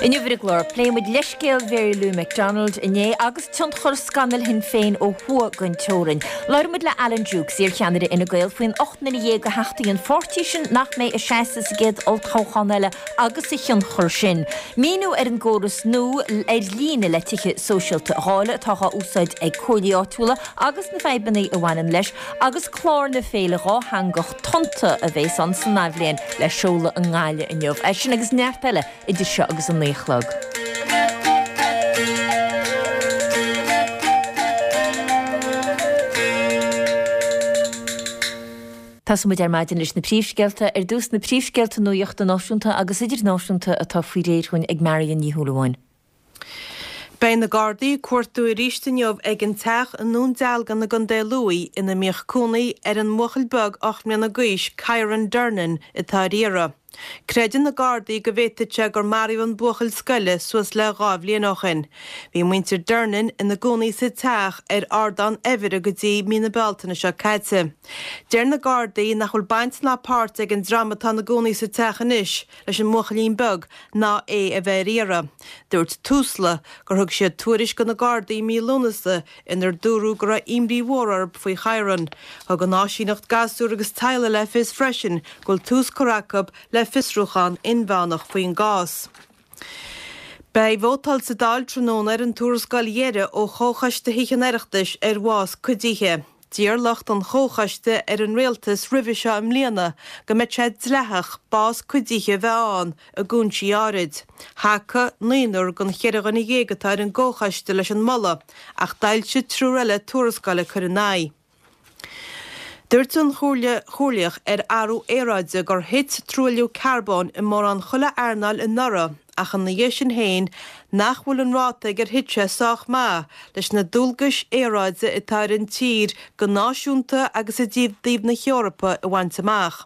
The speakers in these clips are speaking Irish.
Inniu ar an gclár, pléifidh muid leithscéal Mhary Lou McDonald inné agus tionchar scannal Shinn Féin ó thuaidh den teorainn. Labhróidh muid le Alan Dukes, iarcheannaire Fhine Gael, faoin 18 nduine de theachtaí an pháirtí sin nach mbeidh ag seasamh sa gcéad olltoghchán eile agus a thionchar sin. Míniú ar an gcóras nua ar líne le tithe sóisialta a dháileadh atá á úsáid ag comhairlí áitiúla agus na fadhbanna a bhaineann leis agus clár na féile dhátheangach Tonnta a bhéas ann san athbhliain le seoladh i nGaillimh inniu. É sin agus neart eile idir seo agus a 9 a chlog. Tosóidh muid ar maidin leis na príomhscéalta. Ar dtús na príomhscéalta nuachta náisiúnta agus idirnáisiúnta atá faoi réir dhúinn ag Marion Ní Shúilleabháin. Beidh na Gardaí ag cuartú arís inniu ag an teach i nDún Dealgan i gContae Lú ina mbíodh cónaí ar an mbuachaill beag 8 mbliana d'aois, Kyran Durnin, atá ar iarraidh. Creideann na Gardaí go bhféadfadh sé gur maraíodh an buachaill scoile suas le 2 bhliain ó shin. Bhí muintir Durnin ina gcónaí sa teach ar Ardán Eimhire go dtí mí na Bealtaine seo caite. Deir na Gardaí nach bhfuil baint ná páirt ag an dream atá ina gcónaí sa teach anois leis an mbuachaillín beag ná é a bheith ar iarraidh. Dúirt Tusla gur thug siad tuairisc do na Gardaí i mí Lúnasa inar dúradh go raibh imní mhór orthu faoi Kyran. Thug an áisíneacht gasúr agus teaghlaigh le fios freisin go bhfuil tús curtha acu le fiosrúchán inmheánach faoin gcás. Beidh vótáil sa Dáil tráthnóna ar an tuarascáil dheiridh ó Chomhchoiste Thithe an Oireachtais ar bhás cuidithe. D'iarr lucht an chomhchoiste ar an rialtas roimhe seo i mbliana go mbeadh sé dleathach bás cuidithe a bheith ann i gcúinsí áirid. Thacaigh naonúr den cheithre dhuine dhéag atá ar an gcomhchoiste leis an moladh ach d'fhoilsigh triúr eile tuarascáil ag cur ina aghaidh. Dúirt an Chomhairle Chomhairleach ar Athrú Aeráide gur thit truailliú carbóin i mórán chuile earnáil anuraidh ach ina dhiaidh sin féin nach bhfuil an ráta ag ar thit sé sách maith leis na dualgais aeráide atá ar an tír go náisiúnta agus i dtaobh na hEorpa a bhaint amach.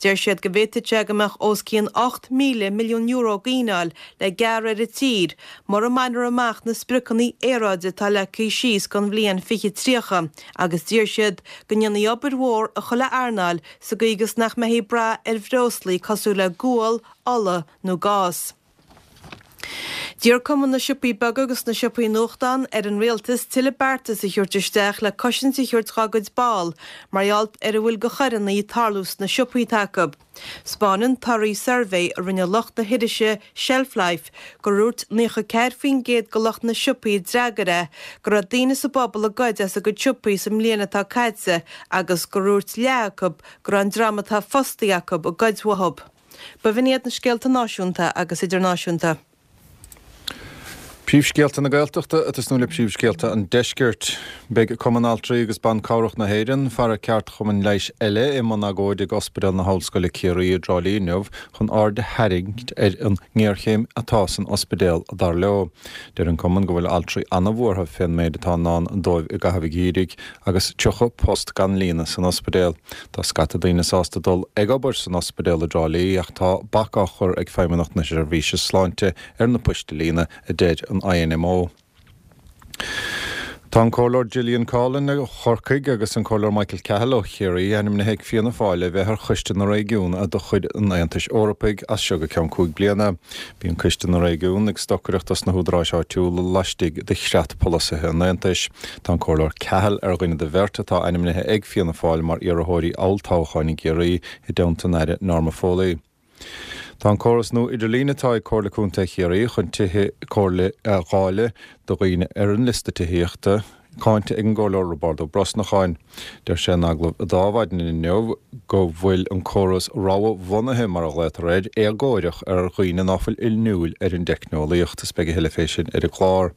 Deir siad go bhféadfadh sé go mbeadh os cionn €8,000 milliún gíneáil le gearradh ar an tír mura mbainfear amach na spriocanna aeráide atá leagtha síos don bhliain 2030 agus d'iarr siad go ndéanfaí obair mhór i chuile earnáil sa gcaoi agus nach mbeifí ag brath ar bhreoslaí cosúil le gual, ola nó gás. D'iarr Cumann na Siopaí Beaga agus na Siopaí Nuachtán ar an Rialtas tuilleadh beartas a thabhairt isteach le cosaint a thabhairt dhá gcuid ball mar gheall ar a bhfuil de choireanna ag tarlú sna siopaí atá acu. 'Spáineann torthaí suirbhé a rinne lucht na hirise Shelf Life gur dhúirt 94% de lucht na siopaí a d'fhreagair é go raibh daoine sa bpobal ag goid as a gcuid siopaí sa mbliain atá caite agus gur dhúirt leath acu go raibh an dream atá fostaithe acu ag goid uathu. B'in iad na scéalta náisiúnta agus idirnáisiúnta. Príomhscéalta na Gaeltachta ag tosnú le príomhscéalta an Deiscirt. Beidh Cumann Altraí agus Ban Cabhrach na hÉireann, fara ceardchumainn leighis eile, i mbun agóide ag Ospidéal na hOllscoile Ciarraí i dTrá Lí inniu chun aird a tharraingt ar an ngéarchéim atá san ospidéal, dar leo. Deir an cumann go bhfuil altraí an-bhuartha fén méid atá i ndán dóibh i gcaitheamh an gheimhridh agus 30 post gan líonadh san ospidéal. Tá scata daoine sásta dul ag obair san ospidéal i dTrá Lí ach tá bac á chur ag Feidhmeannacht na Seirbhíse Sláinte ar na poist a líonadh, a deir an INMO. Tá an Comhairleoir Gillian Coughlan ó Chorcaigh agus an Comhairleoir Michael Cahill ó Chiarraí ainmnithe ag Fianna Fáil le bheith ar Choiste na Réigiún de chuid an Aontais Eorpaigh as seo go ceann 5 bliana. Bíonn Coiste na Réigiún ag stocaireacht dos na húdaráis áitiúla laistigh de chreat polasaithe an Aontais. Tá an Comhairleoir Cahill ar dhuine de bheirt atá ainmnithe ag Fianna Fáil mar iarrthóirí olltoghcháin i gCiarraí i dteannta an Aire Norma Foley. Tá an córas nua idirlín atá ag Comhairle Contae Chiarraí chun tithe comhairle a dháileadh do dhaoine ar an liosta tithíochta cáinte ag an gComhairleoir Roibeárd Ó Brosnacháin. Deir sé in agallamh d'Adhmhaidin inniu go bhfuil an córas rogha-bhunaithe, mar a ghlaotar air, éagóireach ar dhaoine ná fuil inniúil ar an dteicneolaíocht. Is beidh a thuilleadh fé sin ar an gclár.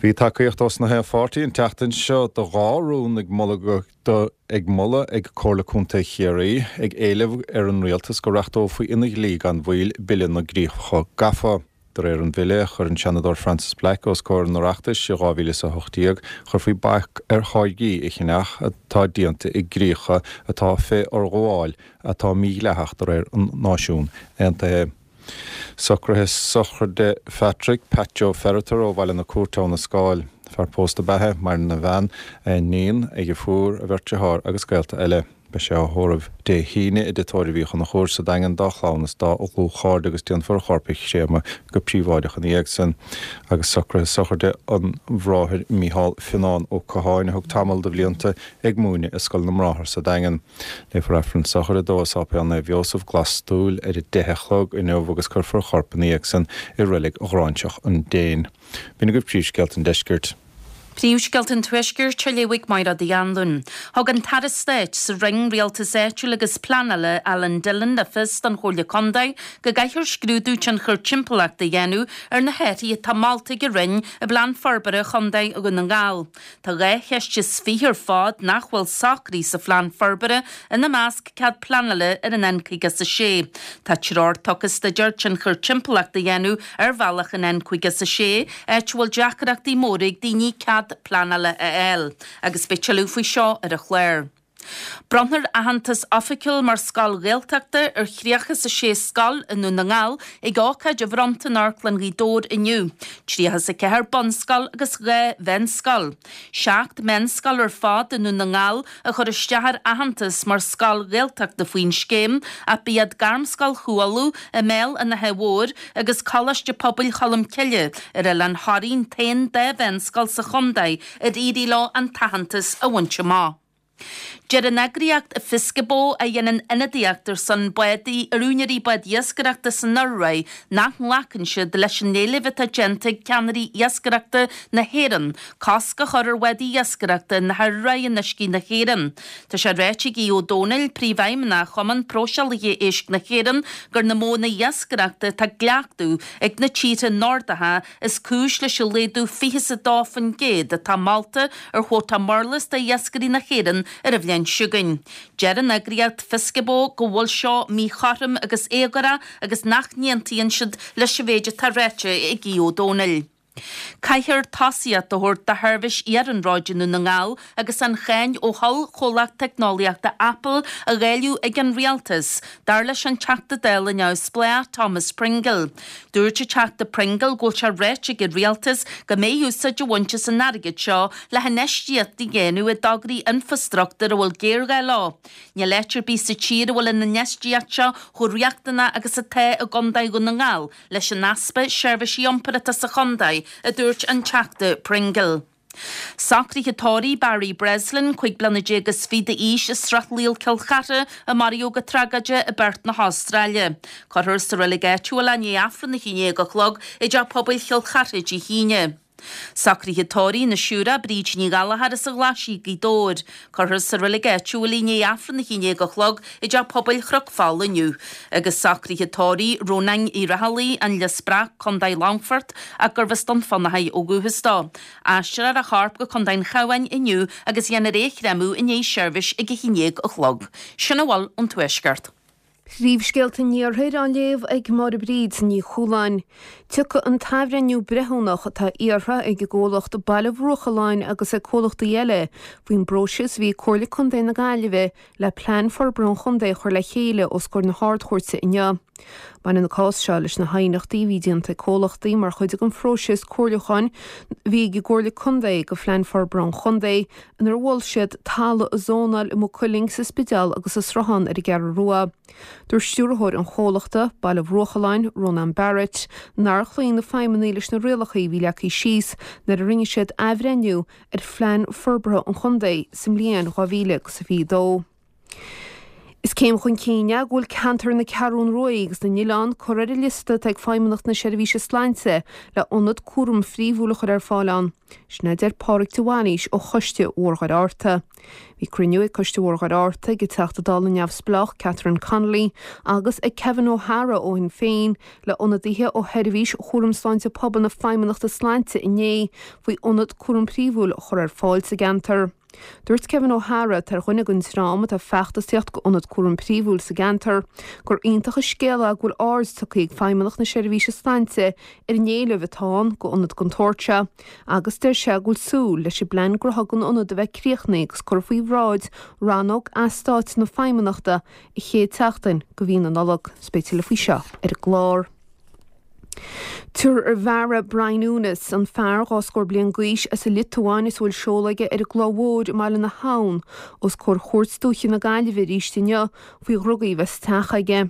Bhí tacaíocht ós na haon pháirtí an tseachtain seo do dhá rún ag moladh do ag moladh ag Comhairle Contae Chiarraí ag éileamh ar an Rialtas go reachtófaí ina dhlí gan mhoill Bille na gCríocha Gafa. De réir an bhille, a chuir an Seanadóir Frances Black os comhair an Oireachtais i 2018, chuirfí bac ar tháirgí a cheannach atá déanta i gcríocha atá fé fhorghabháil atá mídhleathach de réir an Náisiún Aontaithe. Socruithe sochraide Phatrick Pat Joe Ferriter ó Bhaile na Cúirte Abha na Scáil. Fear pósta ab ea é, maireann a bhean, a iníon, a dheirfiúr, a bheirt dearthár agus gaolta eile. Beidh sé á thórramh Dé hAoine i dTigh Tórraimh Uí Chonchúir sa Daingean dá chlann is dá dhlúthchairde agus déanfar a chorp a chréamadh go príobháideach ina dhiaidh san. Agus socruithe sochraide an Bhráthair Mícheál Fionán Ó Catháin a thug tamall de bhlianta ag múineadh i Scoil na mBráthar sa Daingean. Léifear Aifreann sochraide dó i Sáipéal Naomh Iósaf, Glas Túil ar a 10 a chlog inniu agus cuirfear a chorp ina dhiaidh san i Reilig Ghráinseach an Déin. B'in agaibh príomhscéalta an deiscirt. Príomhscéalta an Tuaiscirt á léamh ag Máire Uí Anluain. Thug an tAire Stáit sa Roinn Rialtais Áitiúil agus Pleanála, Alan Dillon le fios don Chomhairle Contae go gcaithfear scrúdú tionchar timpeallachta a dhéanamh ar na hathruithe atá molta ag an Roinn i bPlean Forbartha Chontae Dhún na nGall. Tá 22 cheist ar fad nach bhfuil socraithe sa phlean forbartha, ina measc cead pleanála ar an N56. Tá treoir tugtha staidéar tionchar timpeallachta a dhéanamh ar bhealach an N56, áit a bhfuil deacrachtaí móra ag daoine cead pleanála a fháil. Agus beidh tuilleadh faoi seo ar an chlár. Bronnfar aitheantas oifigiúil mar scoil Ghaeltachta ar 36 scoil i nDún na nGall ag ócáid a bhronnta in Amharclann Ghaoth Dobhair inniu, 34 bunscoil agus 2 mheánscoil. 7 meánscoil ar fad i nDún na nGall a chuir isteach ar aitheantas mar scoil Ghaeltachta faoin scéim ach ba iad Gairmscoil Chú Uladh i mBéal an Átha Mhóir agus Coláiste Pobail Cholm Cille ar Oileán Thoraí an t-aon dá mheánscoil sa chontae ar éirigh leo an t-aitheantas a bhaint amach. Deir an eagraíocht Fiskabo, a dhéanann ionadaíocht ar son bád ar úinéirí bád iascaireachta san Iorraí, nach nglacann siad leis an éileamh atá déanta ag ceannairí iascaireachta na hÉireann cosc a chur ar bhádaí iascaireachta na hIorraí in uiscí na hÉireann. Tá sé ráite ag Aodh Ó Domhnaill, Príomhfheidhmeannach Chumann Próiseálaithe Éisc na hÉireann, gur na modhanna iascaireachta atá á gcleachtadh ag na tíortha Nordacha is cúis leis an laghdú 22% atá molta ar chuóta murlas do iascairí na hÉireann ar an bhliain seo chugainn. Deir an eagraíocht Fiskabo go bhfuil seo míchothrom agus éagórach agus nach n-aontaíonn siad leis an mhéid atá ráite ag Aodh Ó Domhnaill. Caithfear tosaíocht a thabhairt do sheirbhís iarnróid i nDún na nGall agus an cháin ó ollchomhlacht teicneolaíochta Apple á dháileadh ag an rialtas, dar leis an Teachta Dála neamhspleách Thomas Pringle. Dúirt an Teachta Pringle go bhfuil sé ráite ag an rialtas go mbeidh úsáid á bhaint as an airgead seo le hinfheistíocht a dhéanamh i dtograí infreastruchtúir a bhfuil géarghá leo. Níl áit ar bith sa tír a bhfuil an infheistíocht seo chomh riachtanach agus atá i gContae Dhún na nGall leis an easpa seirbhísí iompair atá sa chontae, a dúirt an Teachta Pringle. Socruithe tórraimh Barry Breslin, 25 bliana d'aois as Srath Laoil Cill Chartha, a maraíodh go tragóideach i bPerth na hAstráile. Cuirfear sa reilig áitiúil é i ndiaidh Aifreann a 11 a chlog i dTeach Pobail Chill Chartha Dé hAoine. Socruithe tórraimh na Siúire Bríd Ní Ghallchóir as an Ghlaisigh, Gaoth Dobhair. Cuirfear sa reilig áitiúil í i ndiaidh Aifreann a 11 a chlog i dTeach Pobail Chnoc Fola inniu. Agus socruithe tórraimh Rónáin Uí Raghallaigh, An Lios Breac, Co. Longfoirt, ach gurbh as Dún Fionnachaidh ó dhúchas dó. Aistreofar a chorp go Contae an Chabháin inniu agus dhéanfar é a chréamadh i ndiaidh seirbhís ag a 11 a chlog. Sin a bhfuil ón Tuaisceart. Príomhscéalta an Iarthair á léamh ag Máire Bríd Ní Chualáin. Tiocfaidh an t-athbhreithniú breithiúnach atá iarrtha ag an gcomhlacht Baile Bhruachalláin agus ag comhlachtaí eile faoin bpróiseas a bhí ag Comhairle Contae na Gaillimhe le Plean Forbartha an Chontae a chur le chéile os comhair na hArd-Chúirte inniu. Baineann an cás seo leis na haighneachtaí a bhí déanta ag comhlachtaí mar chuid den phróiseas comhairliúcháin a bhí ag an gComhairle Contae do Phlean Forbartha an Chontae inar mhol siad talamh a zónáil i Maigh Cuilinn, sa Spidéal agus sa Sruthán ar an gCeathrú Rua. Dúirt stiúrthóir an chomhlachta, Baile Bhruachalláin, Rónán Barrett, nár chloígh na feidhmeannaigh leis na rialacha a bhí leagtha síos nuair a rinne siad athbhreithniú ar Phlean Forbartha an Chontae sa mbliain 2022. Is céim chun cinn é go bhfuil ceantar na Ceathrún Rua agus na nOileán curtha ar an liosta atá ag Feidhmeannacht na Seirbhíse Sláinte le ionad cúraim phríomhúil a chur ar fáil ann. Sin a deir Pádraig de Bhailís ó Choiste Mhór Dhoire Fhatharta. Bhí cruinniú ag Coiste Mhór Dhoire Fhatharta ag an Teachta Dála neamhspleách Catherine Connolly agus ag Kevin O'Hara ó Shinn Féin le ionadaithe ó Sheirbhís Chúram Sláinte Pobail na Feidhmeannachta Sláinte inné faoi ionad cúraim phríomhúil a chur ar fáil sa gceantar. Dúirt Kevin O'Hara, atá ar dhuine den dream atá ag feachtasaíocht d'ionad cúraim príomhúil sa gceantar, gur iontach an scéal é go bhfuil aird tugtha ag Feidhmeannacht na Seirbhíse Sláinte ar an éileamh atá ann d'ionad den tsórt seo agus deir sé go bhfuil súil leis an bplean gnótha don ionad a bheith críochnaithe agus curtha faoi bhráid rannóg eastáit na Feidhmeannachta an chéad tseachtain de mhí na Nollag. Beidh tuilleadh faoi seo ar an gclár. Tabharfar Brian Unas, an fear 2 scór bliain d'aois as an Liotuáin is a bhfuil seoladh aige ar an gCloich Mhór i mBaile na hAbhann, os comhair Chúirt Dúiche na Gaillimhe arís inniu faoi dhrugaí a bheith sa teach aige.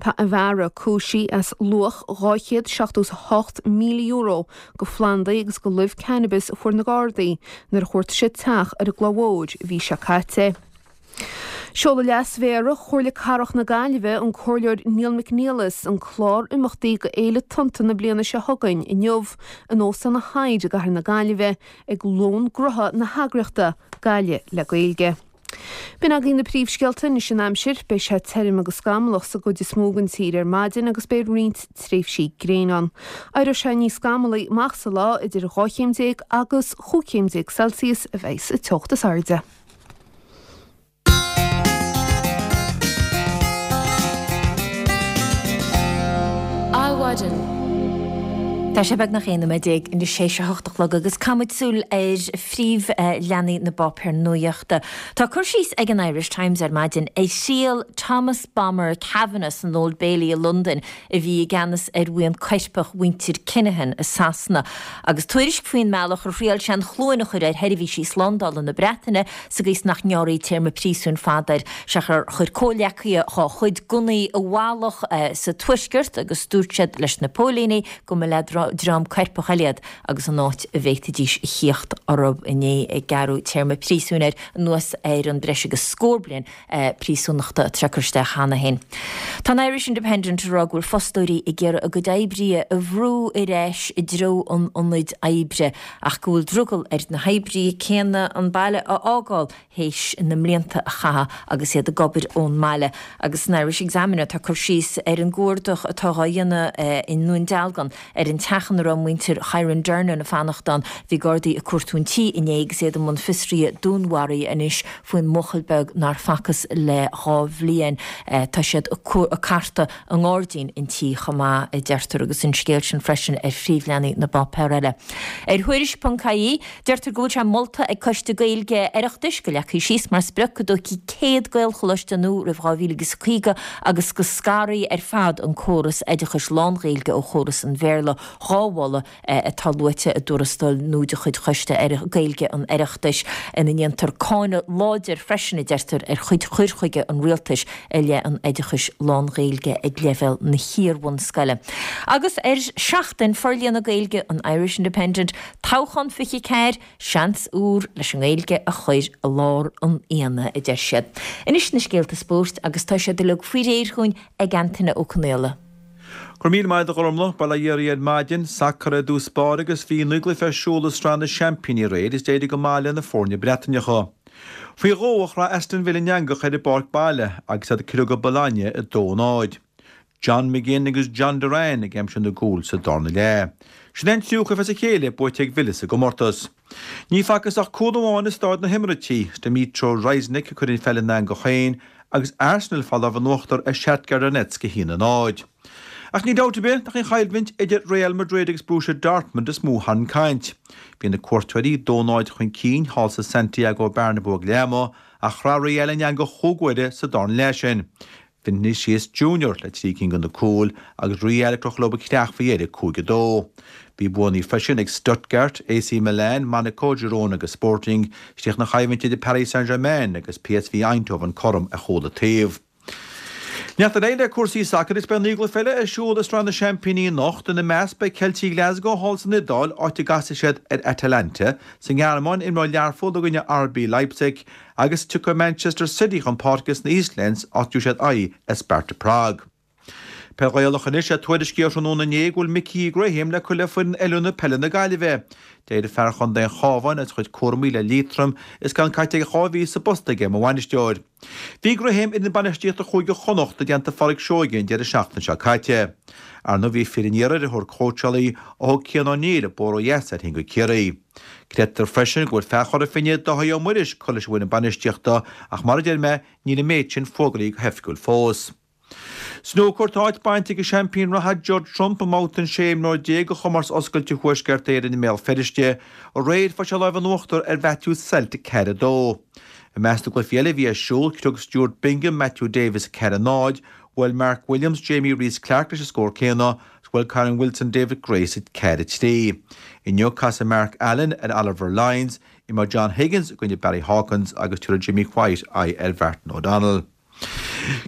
Tá an Bharra cúisithe as luach €278,000 de phlandaí agus de luibh cannabis a fuair na Gardaí nuair a chuartaigh siad teach ar an gCloich Mhór an mhí seo caite. Seolfaidh Leas-Mhéara Chomhairle Cathrach na Gaillimhe, an Comhairleoir Neil McNeilus, an clár imeachtaí do Fhéile Tonnta na bliana seo chugainn inniu in Óstán an Hyde i gCathair na Gaillimhe ag lón gnótha na heagraíochta Gaillimh le Gaeilge. B'in agaibh na príomhscéalta anois an aimsir. Beidh sé tirim agus scamallach sa gcuid is mó den tír ar maidin agus beidh roinnt tréimhsí gréine ann. Éireoidh sé níos scamallaí amach sa lá, idir 12 chéim agus 15 chéim Celsius a bheidh sa teocht is airde. Adhmhaidin. Tá sé beagnach 11 nóiméad tar éis a 8 a chlog agus caithfimid súil ar phríomhleathanaigh na bpáipéar nuachta. Tá cur síos ag an Irish Times ar maidin ar thriail Thomas Bomber Kavanagh san Old Bailey i Londain a bhí i gceannas ar bhuíon coirpeach mhuintir Kinahan i Sasana, agus tuairisc faoin mbealach ar thriail sé an chluain a chur ar sheirbhísí slándála na Breataine sa gcaoi is nach ngearrfaí téarma príosúin fada air. Sea, chuir comhghleacaithe dá chuid gunnaí i bhfalach sa Tuaisceart agus dúirt siad leis na póilíní go mba le dream coirpeach eile iad agus an áit a bhféadfaidís a thíocht orthu inné ag gearradh téarma príosúin air anuas ar an breis agus scór bliain príosúnachta atá curtha isteach cheana féin. Tá an Irish Independent ag rá go bhfuil fostóirí ag iarraidh a gcuid oibrithe a bhrú ar ais i dtreo an ionaid oibre ach go bhfuil drogall ar na hoibrithe céanna an baile a fhágáil théis na mblianta a chaitheamh agus iad ag obair ón mbaile. Agus san Irish Examiner tá cur síos ar an gcuardach atá á dhéanamh i nDún Dealgan ar an teach ina raibh muintir Kyran Durnin ag fanacht ann. Bhí Gardaí ag cuartú an tí inné agus iad i mbun fiosraithe dúnmharaithe anois faoin mbuachaill beag nár facthas le 2 bhliain. Tá siad ag cartadh i ngairdín an tí chomh maith, a deirtear, agus an scéal sin freisin ar phríomhleathanaigh na bpáipéar eile. Ar Thuairisc.ie, deirtear go bhfuil sé molta ag Coiste Gaeilge Oireachtais go leagfaí síos mar sprioc go dtógfaí 100 Gaelcholáiste nua roimh 2050 agus go scarfaí ar fad an córas oideachais lán-Ghaeilge ó chóras an Bhéarla, 2 mholadh atá luaite i dtuarascáil nua de chuid Choiste Gaeilge an Oireachtais, ina ndéantar cáineadh láidir freisin, a deirtear, ar chuid chur chuige an rialtais i leith an oideachais lán-Ghaeilge ag leibhéal na hiar-bhunscoile. Agus ar Seachtain Forlíonadh Gaeilge an Irish Independent, Toghchán 24, seans úr leis an nGaeilge a chur i lár an aonaigh, a deir siad. Anois na scéalta spóirt agus tá siad uilig faoi réir chugainn ag Antaine Ó Conaola. Go raibh míle maith agat a Ghormlaith, bail ó Dhia oraibh ar maidin, sacar ar dtús báire agus bhí 9 gcluiche ar siúl i Sraith na Seaimpíní aréir is d'éirigh go maith le na foirne Breataineacha. Faoi dhó a chroith Aston Villa an eangach ar a bpáirc baile agus iad ag criogadh Bologna 2-0. John McGinn agus Jhon Duran ag aimsiú na gcúl sa darna leath. Sin é an tríú cluiche as a chéile buaite ag Villa sa gcomórtas. Ní facthas ach cúl amháin i Stáid na hEimiréití, Dmytro Riznyk ag cur an pheil ina eangach féin agus Arsenal ag fáil lámh in uachtar ar Shakhtar Donetsk 1-0. Ach níl dabht ar bith nach í an choimhlint idir Real Madrid agus Borussia Dortmund is mó a tharraing caint. Bhí na cuairteoirí 2-0 chun cinn thall sa Santiago Bernabeu ag leath ama ach chroith Real an eangach chúig uaire sa darna leath sin. Vinicius Junior le 3 cinn de na cúil agus Real ag crochadh leo a gcreach faoi dheireadh 5-2. Bhí buanna freisin ag Stuttgart, AC Milan, Monaco, Girona agus Sporting. Chríochnaigh an choimhlint idir Paris Saint-Germain agus PSV Eindhoven cothrom ar chúl an taobh. Neart ar aghaidh le cúrsaí sacair agus beidh 9 gcluiche eile ar siúl i Sraith na Seaimpíní anocht. Ina measc beidh Ceiltigh Ghlasgow thall san Iodáil, áit a gcasfaidh siad ar Atalanta. Sa nGearmáin, imreoidh Learpholl i gcoinne RB Leipzig. Agus tiocfaidh Manchester City chun páirce sna Eastlands áit a dtabharfaidh siad aghaidh ar Sparta Prague. Peil Ghaelach anois é tuairiscíodh tráthnóna inné go bhfuil Micí Graham le cur le foireann oiliúna peile na Gaillimhe. D'éirigh fear chontae an Chabháin as a chuid cúramaí le Liatroim is gan caite ach 2 mhí sa bpost aige mar bhainisteoir. Bhí Graham ar fhoireann bainistíochta Chúige Chonnacht i dteannta Phádraic Seoige an deireadh seachtaine seo caite. Ar ndóigh bhí fir an iarthair ar thóir cóitseálaí ó thug Cian Ó Neill an bóthar ó dheas air féin go Ciarraí. Creidtear freisin go bhfuil fear Chora Finne, Dáithí Ó Muiris, curtha leis an bhfoireann bainistíochta ach mar a deir mé, níl an méid sin fógraithe go hoifigiúil fós. Snúcar Tá áit bainte ag an seaimpín reatha Judd Trump i mbabhta an 16 imreoir de chomórtas oscailte Thuaisceart Éireann i mBéal Feirste aréir. Fuair sé lámh in uachtar ar Matthew Selt 4-2. I measc na gcluichí eile a bhí ar siúl, chriog Stuart Bingham Matthew Davies 4-0, bhuail Mark Williams Jamie Rees-Clarke leis an scór céanna. Is bhuail Kyren Wilson David Grace 4, 3. Inniu casfaidh Mark Allen ar Oliver Lines, imreoidh John Higgins i gcoinne Barry Hawkins agus tabharfaidh Jimmy White aghaidh ar Mhartin O'Donnell.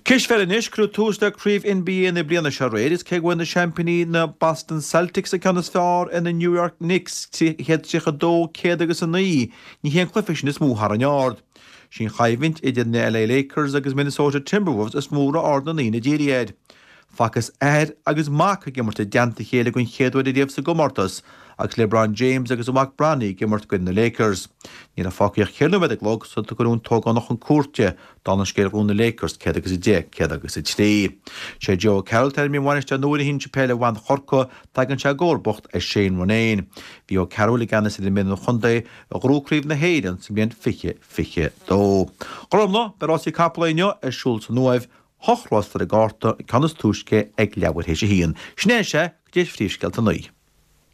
Cispheil anois, cuireadh tús le Craobh NBA na bliana seo aréir is cé go bhfuair na seaimpíní na Boston Celtics an ceann is fearr ar na New York Knicks, 132, 109, ní hé an cluiche sin is mó a tharraing aird. Sí an choimhlint idir na LA Lakers agus Minnesota Timberwolves is mó a raibh aird na ndaoine dírithe air. Facthas athair agus mac ag imirt i dteannta a chéile den chéad uair ariamh sa gcomórtas, agus LeBron James agus a mhac Bronny ag imirt i gcoinne na Lakers. Ní raibh fágtha ach ceithre nóiméad ar an gclog sular tugadh an t-ógánach chun cúirte, dála an scéil ghnóthaigh na Lakers 1 agus 10, 1 agus 3. Sé Joe O'Carroll atá ainmnithe ina bhainisteoir nua ar shinsir peile bhan Chorcaí, tagann sé i gcomharbacht ar Shane Ronayne. Bhí O'Carroll i gceannas ar an bhfoireann chontae a ghnóthaigh Craobh na hÉireann sa mbliain 2022. Gormfhlaith, beidh rásaí capall inniu ar siúl san Uaimh, Hocht rás ar an gcárta, an ceann is túisce ag leathuair théis a haon. Sin é, sea, go dtí phríomhscéalta a naoi.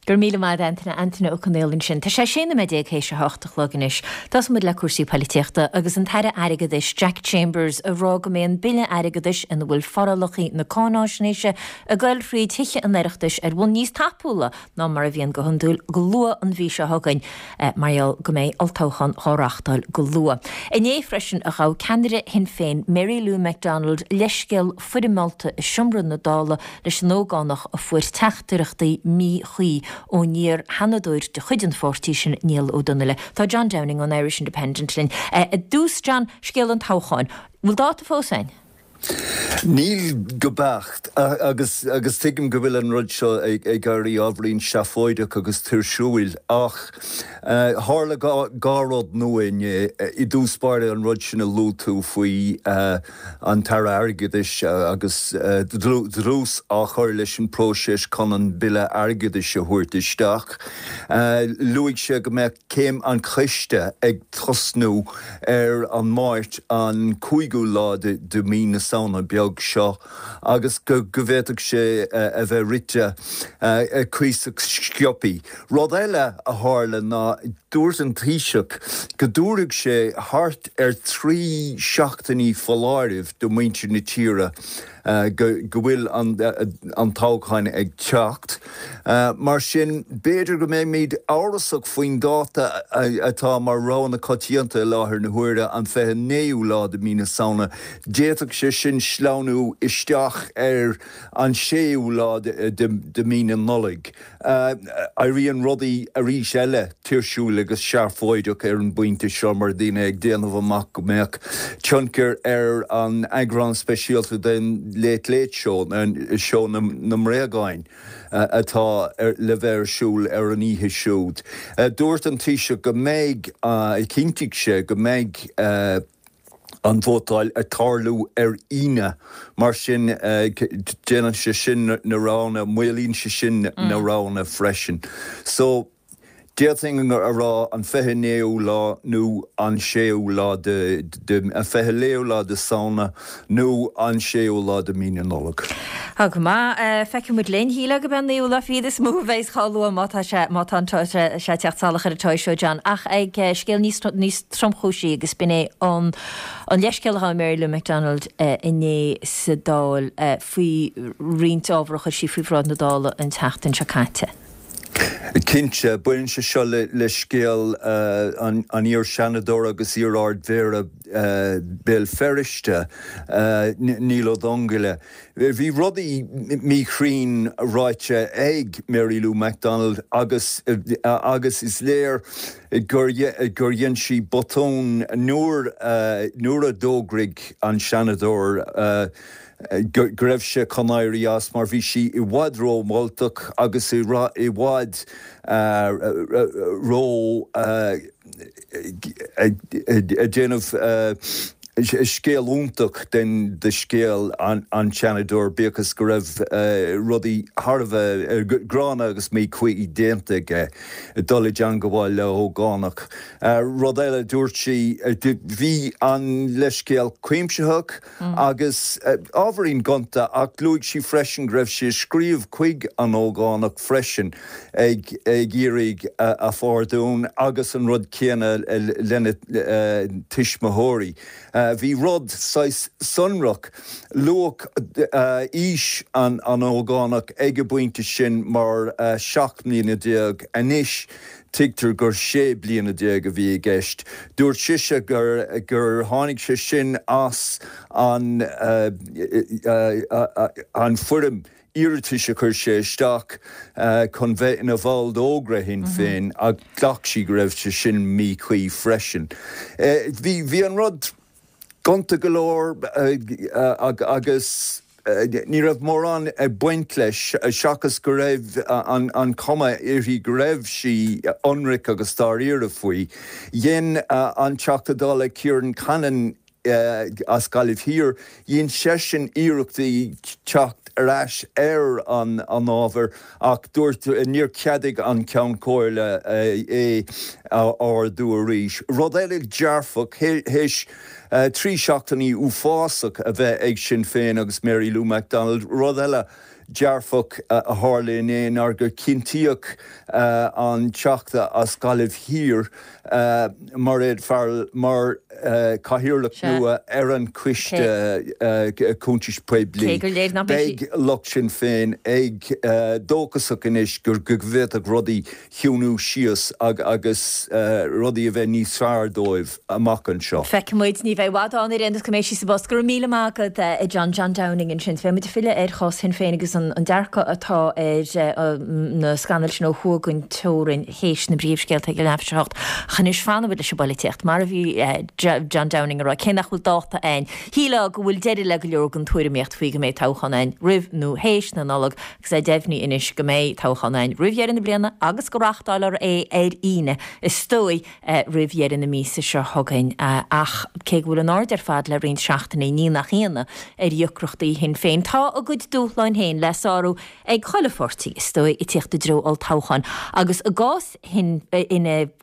Go raibh míle maith agat, Antaine. Antaine Ó Conaola ansin. Tá sé 16 nóiméad théis a hocht a chlog anois. Tosóidh muid le cúrsaí poilitíochta agus an tAire Airgeadais, Jack Chambers, ag rá go mbeidh an Bille Airgeadais ina bhfuil forálacha na cáináisnéise ag goil thríd Thithe an Oireachtais ar bhonn níos tapúla ná mar a bhíonn go hiondúil go luath an mhí seo chugainn mar gheall go mbeidh olltoghchán dhá reáchtáil go luath. Inné freisin a ghabh ceannaire Shinn Féin Mary Lou McDonald leithscéal foirmeálta i seomra na Dála leis an ógánach a fuair teachtaireachtaí míchuí ón iar-sheanadóir de chuid an pháirtí sin Niall Ó Donnaile. Tá John Downing ón Irish Independent linn. I dtús, John, scéal an toghcháin. Bhfuil dáta fós againn? Níl go beacht, agus agus tuigim go bhfuil an rud seo ag éirí ábhairín seafóideach agus tuirsiúil, ach tharla dhá rud nua inné. I dtús báire an rud sin a luaigh tú faoi an tAire Airgeadais agus dlús á chur leis an bpróiseas chun an Bille Airgeadais a thabhairt isteach. Luaigh sé go mbeadh Céim an Choiste ag tosnú ar an Máirt an 5ú lá de mhí na Samhna beag seo agus go bhféadfadh sé a bheith rite cuíosach sciobthaí. Rud eile a tharla ná dúirt an Taoiseach go dtabharfadh sé thart ar thrí seachtainí foláirimh do mhuintir na tíre go bhfuil an toghchán ag teacht. Mar sin, b'fhéidir go mbeimid amhrasach faoin dáta atá mar rogha na coitianta i láthair na huaire, an 29ú lá de mhí na Samhna. D'fhéadfadh sé sin sleamhnú isteach ar an 6ú lá de mhí na Nollag. Éiríonn rudaí arís eile tuirsiúil agus seafóideach ar an bpointe seo mar daoine ag déanamh amach go mbeadh tionchar ar an eagrán speisialta den Late Late Show, seó na mbréagáin, atá le bheith ar siúl ar an oíche siúd. Dúirt an Taoiseach go mbeidh, chinntigh sé go mbeidh, an vótáil ag tarlú ar Aoine, mar sin déanann sé sin na roghanna, maolaíonn sé sin na roghanna freisin. So, d'fhéadfainn a rá an 29ú lá nó an 6ú lá de, an 29ú lá de Samhna nó an 6ú lá de mí na Nollag. Tá go maith. Feicfidh muid linn. Shílfeá gurb é an naoú lá fichead is mó a bheas chomh luath má tá sé, má tá sé ag teacht salach ar an toigh seo, John. Ach ag scéal níos, níos tromchúisí agus b'in é an an leithscéal a ghabh Mary Lou McDonald inné sa Dáil faoi roinnt ábhar a chuir sí faoi bhráid na Dála an tseachtain seo caite. Cinnte, baineann sé seo le scéal an iar-Sheanadóra agus iar-Ard-Mhéara Béal Feirste, Niall Ó Donnghaile. Bhí rudaí míchruinn ráite ag Mary Lou McDonald agus agus is léir gur gur dhein sí botún nuair nuair a d'fhógraigh an Seanadóir go raibh sé chun éirí as mar bhí sí i bhfad ró-mholtach agus i bhfad ró ag déanamh scéal iontach den de scéal an tSeanadóir, bíodh is go raibh rudaí thar a bheith gránna agus míchuí déanta aige, dul i dteangabháil le hógánach. Rud eile, dúirt sí, bhí an leithscéal cuimsitheach, Agus ábhairín gonta, ach luaigh sí freisin go raibh sí ag scríobh chuig an ógánach freisin ag iarraidh a phardún agus an rud céanna lena tuismitheoirí. Bhí rud saghas sonrach, luadh aois an ógánach ag an bpointe sin mar 17 mbliana, anois tuigtear gur 16 bliana a bhí i gceist. Dúirt sise gur gur tháinig sé sin as an an foirm iarratais a chuir sé isteach chun bheith ina bhall d'Ógra Shinn Féin ach ghlac sí go raibh sé sin míchuí freisin. Bhí an rud gonta go leor agus ní raibh mórán ag baint leis seachas go raibh an chuma uirthi go raibh sí ionraic agus dáiríre faoi. Dhein an Teachta Dála Ciarán Cannon as Gaillimh Thiar, dhein seisean iarrachtaí teacht ar ais ar an ábhar ach dúirt, níor cheadaigh an Ceann Comhairle é a ardú arís. Rud eile dearfach, théis 3 seachtainí uafásach a bheith ag Sinn Féin agus Mary Lou McDonald, rud eile dearfach a tharla inné ná gur cinntíodh an Teachta as Gaillimh Thiar, Mairéad Farrell, mar Chathaoirleach nua ar an Choiste Cuntais Poiblí. Beidh lucht Sinn Féin ag dóchasach anois go bhféadfadh rudaí chiúnú síos agus rudaí a bheith níos fearr dóibh amach anseo. Feicfidh muid. Ní bheidh i bhfad ann ar aon nós go mbeidh sí sa bpost. Go raibh míle maith agat, a John. John Downing ansin. Beidh muid ag filleadh ar chás Shinn Féin agus an dearcadh atá ar na scannail sin ó thuaidh den teorainn théis na bpríomhscéalta ag a leathuair tar éis a hocht. Ach anois fanfaidh muid leis an bpolaitíocht. Mar a bhí John Downing a rá, cé nach bhfuil dáta ann, shílfeá go bhfuil deireadh le go leor den tuairimíocht faoi go mbeidh toghchán ann roimh nó théis na Nollag. Agus é deimhnithe anois go mbeidh toghchán ann roimh dheireadh na bliana agus go reáchtálfar é ar Aoine, is dóigh, roimh dheireadh na míosa seo chugainn. Ach cé go bhfuil an aird ar fad le roinnt seachtainí, ní nach ionadh, ar dheacrachtaí Shinn Féin, tá a gcuid dúshláin féin le sárú ag chuile pháirtí, is dóigh, ag tíocht i dtreo olltoghcháin. Agus i gcás Fhine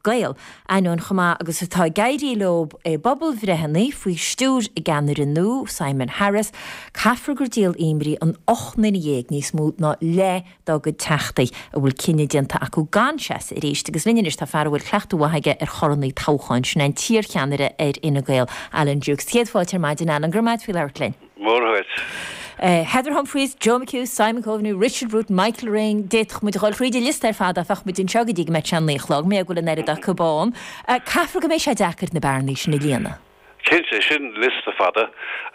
Gael, ainneoin chomh maith agus atá ag éirí leo i bpobalbhreitheanna faoi stiúir a gceannaire nua, Simon Harris, caithfear gur díol imní an 18 nduine, níos mó ná leath dá gcuid teachtaí, a bhfuil cinneadh déanta acu gan seasamh arís. Agus linn anois tá fear a bhfuil cleachtadh mhaith aige ar chorrannaí toghcháin, sin é an t-iarcheannaire ar Fhine Gael, Alan Dukes. Céad fáilte ar maidin, Alan. Go raibh maith agat faoi labhairt linn. Mór dhuit. Heather Humphreys, Joe McHugh, Simon Coveney, Richard Bruton, Michael Ring, d'fhéadfadh muid a dhul thríd an liosta ar fad ach bheadh muid anseo go dtí go mbeadh sé a naoi a chlog, mar go bhfuil an oiread acu ann. Caithfear go mbeidh sé deacair na bearnaí sin a líonadh. Cinnte, sin liosta fada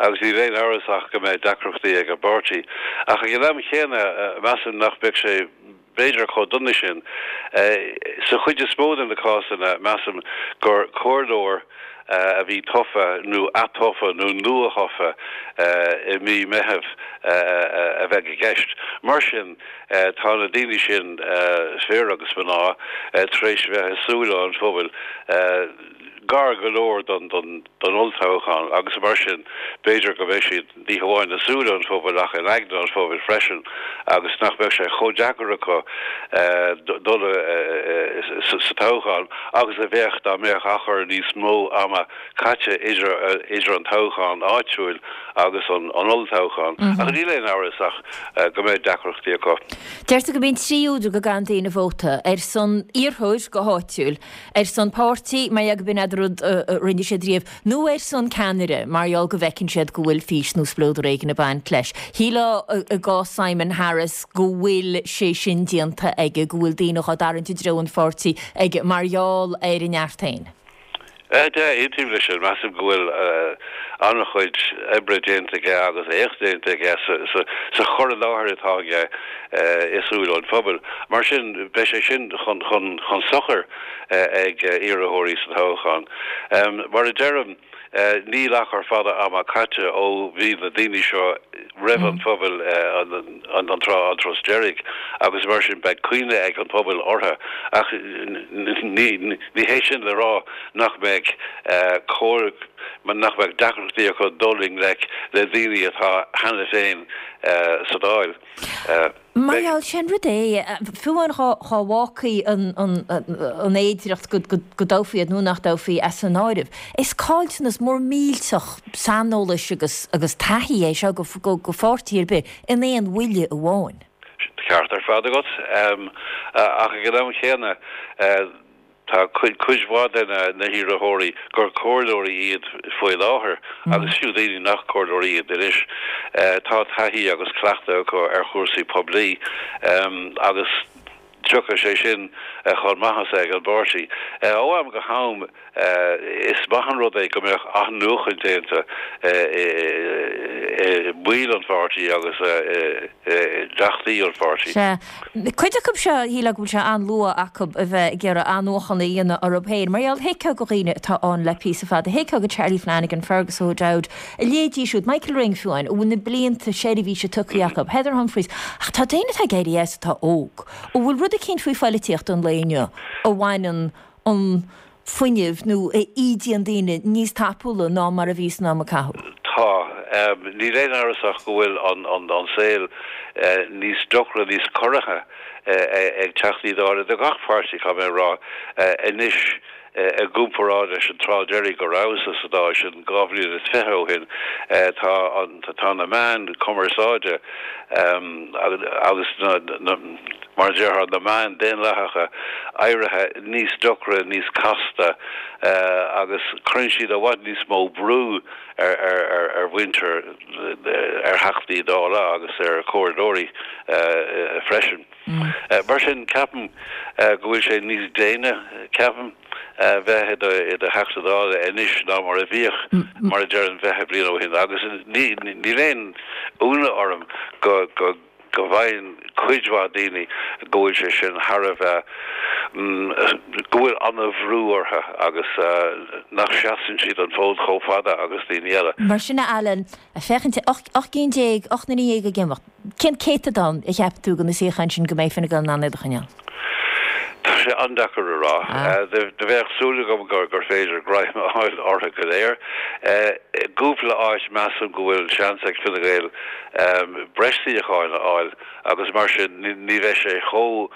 agus níl aon amhras ach go mbeidh deacrachtaí ag an bpáirtí. Ach ag an am chéanna, measaim nach mbeadh sé b'fhéidir chomh dona sin. Sa chuid is mó de na cásanna, measaim gur comhairleoir a bhí tofa nó atofa nó nuathofa i mí Meithimh a bheidh i gceist. Mar sin, tá na daoine sin, fir agus mná, tar éis bheith i súile an phobail gar go leor don olltoghchán agus mar sin, b'fhéidir go mbeidh siad ní hamháin i súile an phobail ach in aigne an phobail freisin agus nach mbeadh sé chomh deacair acu dul sa toghchán agus a bheadh dá mbeadh achar níos mó ama caite idir an toghchán áitiúil agus an olltoghchán. Ach níl aon amhras ach go mbeidh deacrachtaí acu. Deirtear go mbíonn 3 údar go gcaitheann daoine vóta, ar son iarrthóir go háitiúil, ar son páirtí, mar gheall go b'in an rud a rinne siad riamh, nó ar son ceannaire, mar gheall go bhfeiceann siad go bhfuil fís nó spleodar éigin ag baint leis. Shílfeá i gcás Simon Harris go bhfuil sé sin déanta aige, go bhfuil daoine dhá dtarraingt i dtreo an pháirtí aige mar gheall ar a neart féin. Sea, aontaím leis sin. Measaim go bhfuil an-chuid oibre déanta aige agus éacht déanta aige sa chur i láthair atá aige i súile an phobail. Mar sin, beidh sé sin chun sochair ag iarrthóirí sa toghchán. Mar a deirim, níl achar fada ama caite ó bhí na daoine seo roimh an phobal an turas deiridh agus mar sin beidh cuimhne ag an phobal orthu. Ach ní hé sin le rá nach mbeidh comhair, nach mbeidh deacrachtaí acu dul i ngleic le daoine atá cheana féin sa Dáil. Mar gheall, sé an rud é, fiú amháin dhá bhfágfaí an fhéidireacht go dtoghfaí iad nó nach dtoghfaí as an áireamh, is caillteanas mór millteach saineolais agus taithí é seo go pháirtí ar bith in aon bhuille amháin. Ceart ar fad agat. Ach ag an am chéanna. Tá cuid mhaith de na hiarrthóirí gur comhairleoirí iad faoi láthair agus fiú daoine nach comhairleoirí iad anois, tá taithí agus cleachtadh acu ar chúrsaí poiblí agus tiocfaidh sé sin chun maitheasa ag an bpáirtí. Ó am go ham is maith an rud é go mbeadh athnuachan déanta i mbaill an pháirtí agus i dteachtaí an pháirtí. Sea. Cuid acu seo, shílfeá go bhfuil sé an-luath acu a bheith ag iarraidh athnuachan a dhéanamh orthu féin. Mar gheall, thuigfeá do dhaoine atá ann le píosa fada, thuigfeá do Charlie Flanagan, Fergus O'Dowd, a leithéidí siúd, Michael Ring fiú amháin, a bhfuil na blianta seirbhíse tugtha acu, Heather Humphreys. Ach tá daoine atá ag éirí as atá óg. An bhfuil rud eicínt faoi phoilitíocht an lae inniu a bhaineann an fuinneamh nó a ídíonn daoine níos tapúla ná mar a bhí san am a caitheadh. Tá. Níl aon amhras ach go bhfuil an saol níos deacra, níos corraithe ag Teachtaí Dála de gach páirtí, caithfidh mé a rá, anois i gcomparáid leis an tráth deiridh go rabhas-sa sa Dáil, sin 2 bhliain is fiche ó shin. Tá tá na meáin cumarsáide agus na, mar a déarfá, na meáin daonlathacha éirithe níos deacra, níos casta agus cuireann siad i bhfad níos mó brú ar mhuintir, ar Theachtaí Dála agus ar chomhairleoirí freisin. Mar sin, ceapaim go bhfuil sé níos déine, ceapaim, bheith i do Theachta Dála anois ná mar a bhíodh, mar a déarfainn, 20 bliain ó shin agus níl aon ionadh orm go go bhfaigheann cuid mhaith daoine go bhfuil sé sin thar a bheith, go bhfuil an-bhrú orthu agus nach seasann siad an fód chomh fada agus daoine eile. Mar sin, a Alan, ag féachaint 18 gcinn, 18 nduine ag imeacht, cén céatadán a cheapann tú de na suíocháin sin go mbeidh Fine Gael in ann iad a choinneáil? Tá sé an-deacair a rá. Do bheadh súil agam gur féidir greim a fháil orthu go léir. I gcúpla áit measaim go bhfuil seans ag Fine Gael breis suíocháin a fháil agus mar sin ní bheidh sé chomh,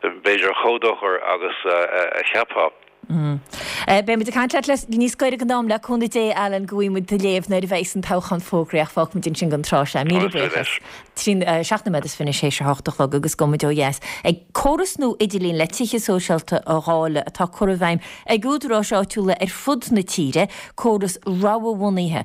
b'fhéidir, chomh dochar agus a cheapfá. Beidh muid ag caint leat le níos gaire don am le cúnamh Dé, Alan, go bhfaighidh muid do léamh nuair a bheidhs an toghchán fógraithe ach fágfaidh muid ansin don tráth seo. Míle buíochas. 7 nóiméad is fiche théis a hocht a chlog agus gabhfaidh muid ó dheas ag córas nua idirlín le tithe sóisialta a dháileadh atá curtha i bhfeidhm ag údaráis áitiúla ar fud na tíre, córas rogha-bhunaithe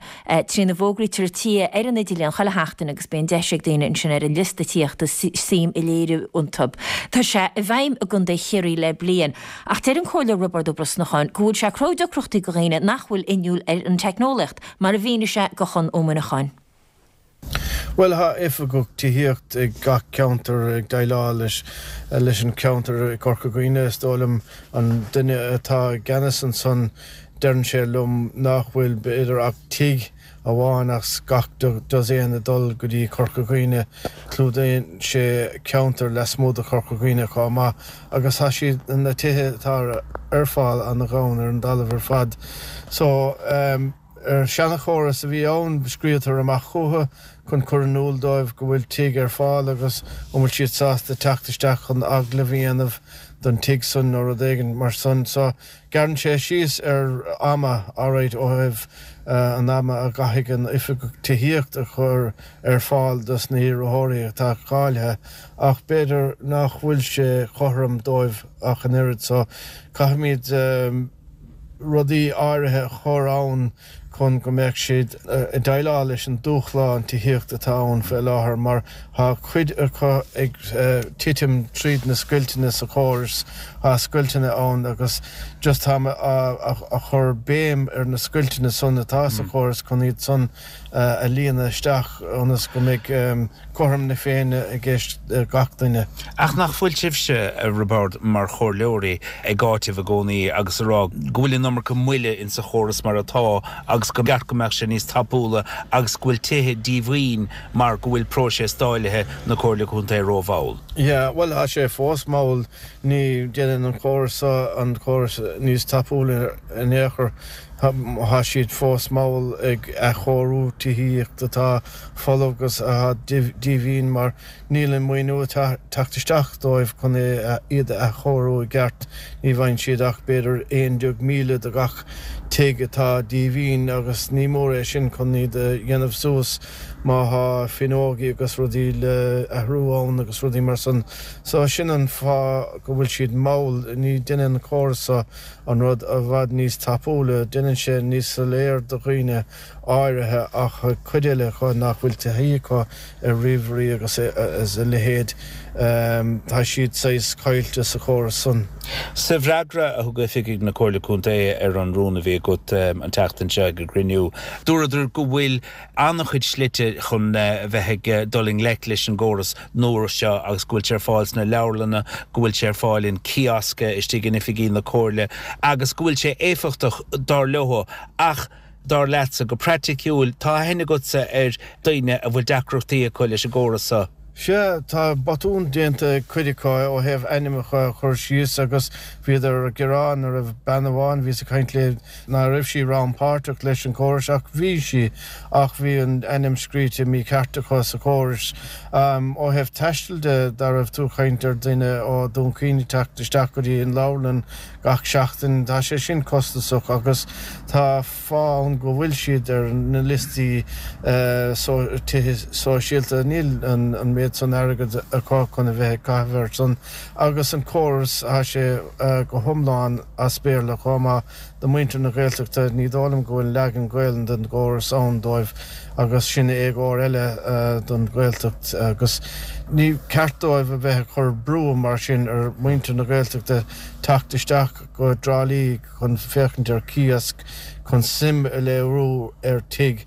trína bhfógraítear tithe ar an idirlíon chuile sheachtain agus bíonn deis ag daoine ansin ar an liosta tithíochta suim a léiriú iontu. Tá sé i bhfeidhm i gContae Chiarraí le bliain ach deir an Comhairleoir Roibeárd Ó Brosnacháin go bhfuil sé ag cruthú deacrachtaí do dhaoine nach bhfuil inniúil ar an teicneolaíocht, mar a mhínigh sé do Chonn Ó Muineacháin. Bhuel, tá oifigeach tithíocht ag gach ceantar ag déileáil leis leis an cheantar i gCorca Dhuibhne. Is dóigh liom an duine atá i gceannas ansan, deireann sé liom nach bhfuil b'fhéidir ach tigh amháin as gach dosaen ag dul go dtí Corca Dhuibhne. Clúdaíonn sé ceantar lasmuigh de Chorca Dhuibhne chomh maith agus tá siad, na tithe atá ar fáil ana-ghann ar an dtalamh ar fad. So, ar seanachóras a bhí ann, scríobhtar amach chucu chun cur in iúl dóibh go bhfuil tigh ar fáil agus an bhfuil siad sásta teacht isteach chun agallamh a dhéanamh don tigh san nó rud éigin mar san. So, Gearrann sé síos ar ama, alright, ó thaobh an ama a gcaithfidh an oifigeach tithíocht a chur ar fáil dos na hiarrthóirí atá cáilithe, ach b'fhéidir nach bhfuil sé cothrom dóibh ach an oiread. So, caithfimid rudaí áirithe a chur ann chun go mbeadh siad ag déileáil leis an dúshlán tithíochta atá ann faoi láthair mar tá cuid acu ag titim tríd na scoilteanna sa chóras, tá scoilteanna ann agus just tá mé a chur béim ar na scoilteanna san atá sa chóras chun iad san a líonadh isteach ionas go mbeidh cothrom na Féinne i gceist gach duine. Ach nach bhfuil sibhse, a Roibeárd, mar chomhairleoirí ag áiteamh i gcónaí agus a rá go bhfuil an iomarca moille insa chóras mar atá agus gur cheart go mbeadh sé níos tapúla agus go bhfuil tithe díomhaoin mar go bhfuil próiseas dáilithe na Comhairle Contae rómhall? Yeah, bhuel, tá sé fós mall. Ní dhéanann an córas seo an córas níos tapúla in aon chor. Tá siad fós mall ag athchóiriú tithíocht atá folamh agus atá díomhaoin mar níl an maoiniú ag teacht isteach dóibh chun iad a athchóiriú i gceart. Ní bhfaigheann siad ach b'fhéidir 11,000 do gach tigh atá díomhaoin agus ní mór é sin chun iad a dhéanamh suas má thá fuinneogaí agus rudaí le athrú ann agus rudaí mar san. So sin an fáth go bhfuil siad mall. Ní deineann an córas so an rud i bhfad níos tapúla, déanann sé níos soiléir do dhaoine áirithe ach cuid eile acu nach bhfuil taithí acu ar ríomhairí agus a leithéid, tá siad saghas caillte sa chóras san. Sa bhfreagra a thug oifigigh na Comhairle Contae ar an rún a bhí agat an tseachtain seo ag an gcruinniú, dúradar go bhfuil an-chuid slite chun bheith ag dul i ngleic leis an gcóras nua seo agus go bhfuil sé ar fáil sna leabharlanna, go bhfuil sé ar fáil in kiosk istigh in oifigí na Comhairle agus go bhfuil sé éifeachtach, dar leo. Ach dar leatsa, go praiticiúil, tá aithne agatsa ar daoine a bhfuil deacrachtaí acu leis an gcóras seo. Sea, tá botún déanta ag cuid acu ó thaobh ainmneacha a chur síos agus bhíodar ag gearán go raibh bean amháin, bhíos ag caint léi, ná raibh sí rannpháirteach leis an chóras ach bhí sí ach bhí an ainm scríte mícheart acu sa chóras. Ó thaobh taistil de, dá raibh tú ag caint ar duine ó Dún Chaoin ag teacht isteach go dtí an leabharlann gach seachtain, tá sé sin costasach agus tá fáth ann go bhfuil siad ar na liostaí tithe sóisialta. Níl an méid san airgid acu chun a bheith ag caitheamh air san agus an córas, tá sé go hiomlán as Béarla chomh maith do mhuintir na Gaeltachta. Ní dóigh liom go bhfuil leagan Gaelainn den gcóras ann dóibh agus sin éagóir eile don Ghaeltacht agus ní ceart dóibh a bheith ag cur brú mar sin ar mhuintir na Gaeltachta teacht isteach go dTrá Lí chun féachaint ar kiosk chun suim a léiriú ar tigh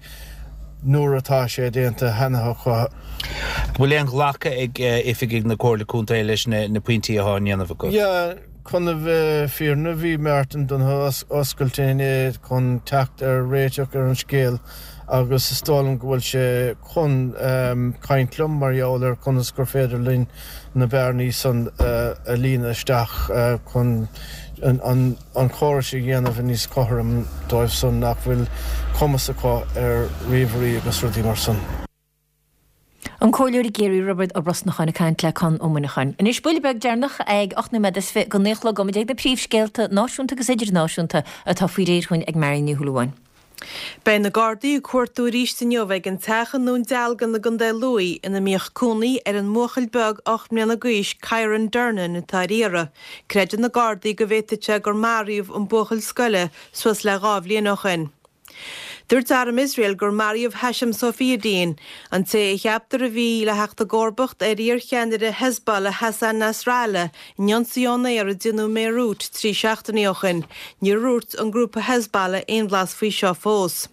nuair atá sé déanta cheana acu. An bhfuil aon ghlacadh ag oifigigh na Comhairle Contae leis na pointí atá á ndéanamh agat? Yeah, chun a bheith fírinneach, bhí Martin Donohoe oscailte inné chun teacht ar réiteach ar an scéal agus is dóigh liom go bhfuil sé chun caint liom mar gheall ar conas gur féidir linn na bearnaí san a líonadh isteach chun an córas a dhéanamh níos cothrom dóibh san nach bhfuil cumas acu ar ríomhairí agus rudaí mar san. An Comhairleoir i gCiarraí, Roibeard Ó Brosnacháin ag caint le Conn Ó Muineacháin. Anois, buille beag deireanach ag 8 nóiméad is 20 go 9 a chlog, gabhfaidh muid ag na príomhscéalta náisiúnta agus idirnáisiúnta atá faoi réir chugainn ag Marion Ní Shúilleabháin. Beidh na Gardaí ag cuartú arís inniu ag an teach i nDún Dealgan i gContae Lú ina mbíodh cónaí ar an mbuachaill beag 8 mbliana d'aois Kyran Durnin atá ar iarraidh. Creideann na Gardaí go bhféadfadh sé gur maraíodh an buachaill scoile suas le 2 bhliain ó shin. Dúirt arm Iosrael gur maraíodh Hashem Safieddine, an té a cheaptar a bhí le theacht i gcomharbacht ar iarcheannaire Hezbollah Hassan Nasrallah, in ionsaí ón aer a déanadh i mBeirut 3 seachtainí ó shin. Níor dhúirt an grúpa Hezbollah aon bhlas faoi seo fós.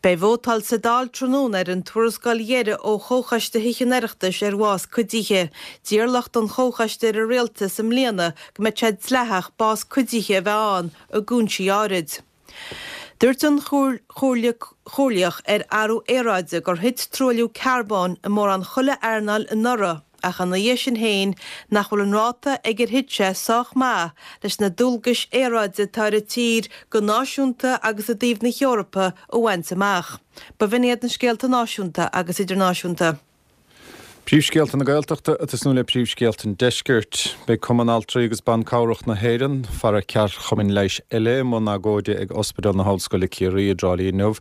Beidh vótáil sa Dáil tráthnóna ar an tuarascáil dheiridh ó Chomhchoiste Thithe an Oireachtais ar bhás cuidithe. D'iarr lucht an chomhchoiste ar an Rialtas i mbliana go mbeadh sé dleathach bás cuidithe a bheith ann i gcúinsí áirid. Dúirt an Chomhairle Chomhairleach ar Athrú Aeráide gur thit truailliú carbóin i mórán chuile earnáil anuraidh ach ina dhiaidh sin féin nach bhfuil an ráta ag ar thit sé sách maith leis na dualgais aeráide atá ar an tír go náisiúnta agus i dtaobh na hEorpa a bhaint amach. B'in iad na scéalta náisiúnta agus idirnáisiúnta. Príomhscéalta na Gaeltachta ag tosnú le príomhscéalta an Deiscirt. Beidh Cumann Altraí agus Ban Cabhrach na hÉireann, fara ceardchumainn leighis eile, i mbun agóide ag Ospidéal na hOllscoile Ciarraí i dTrá Lí inniu,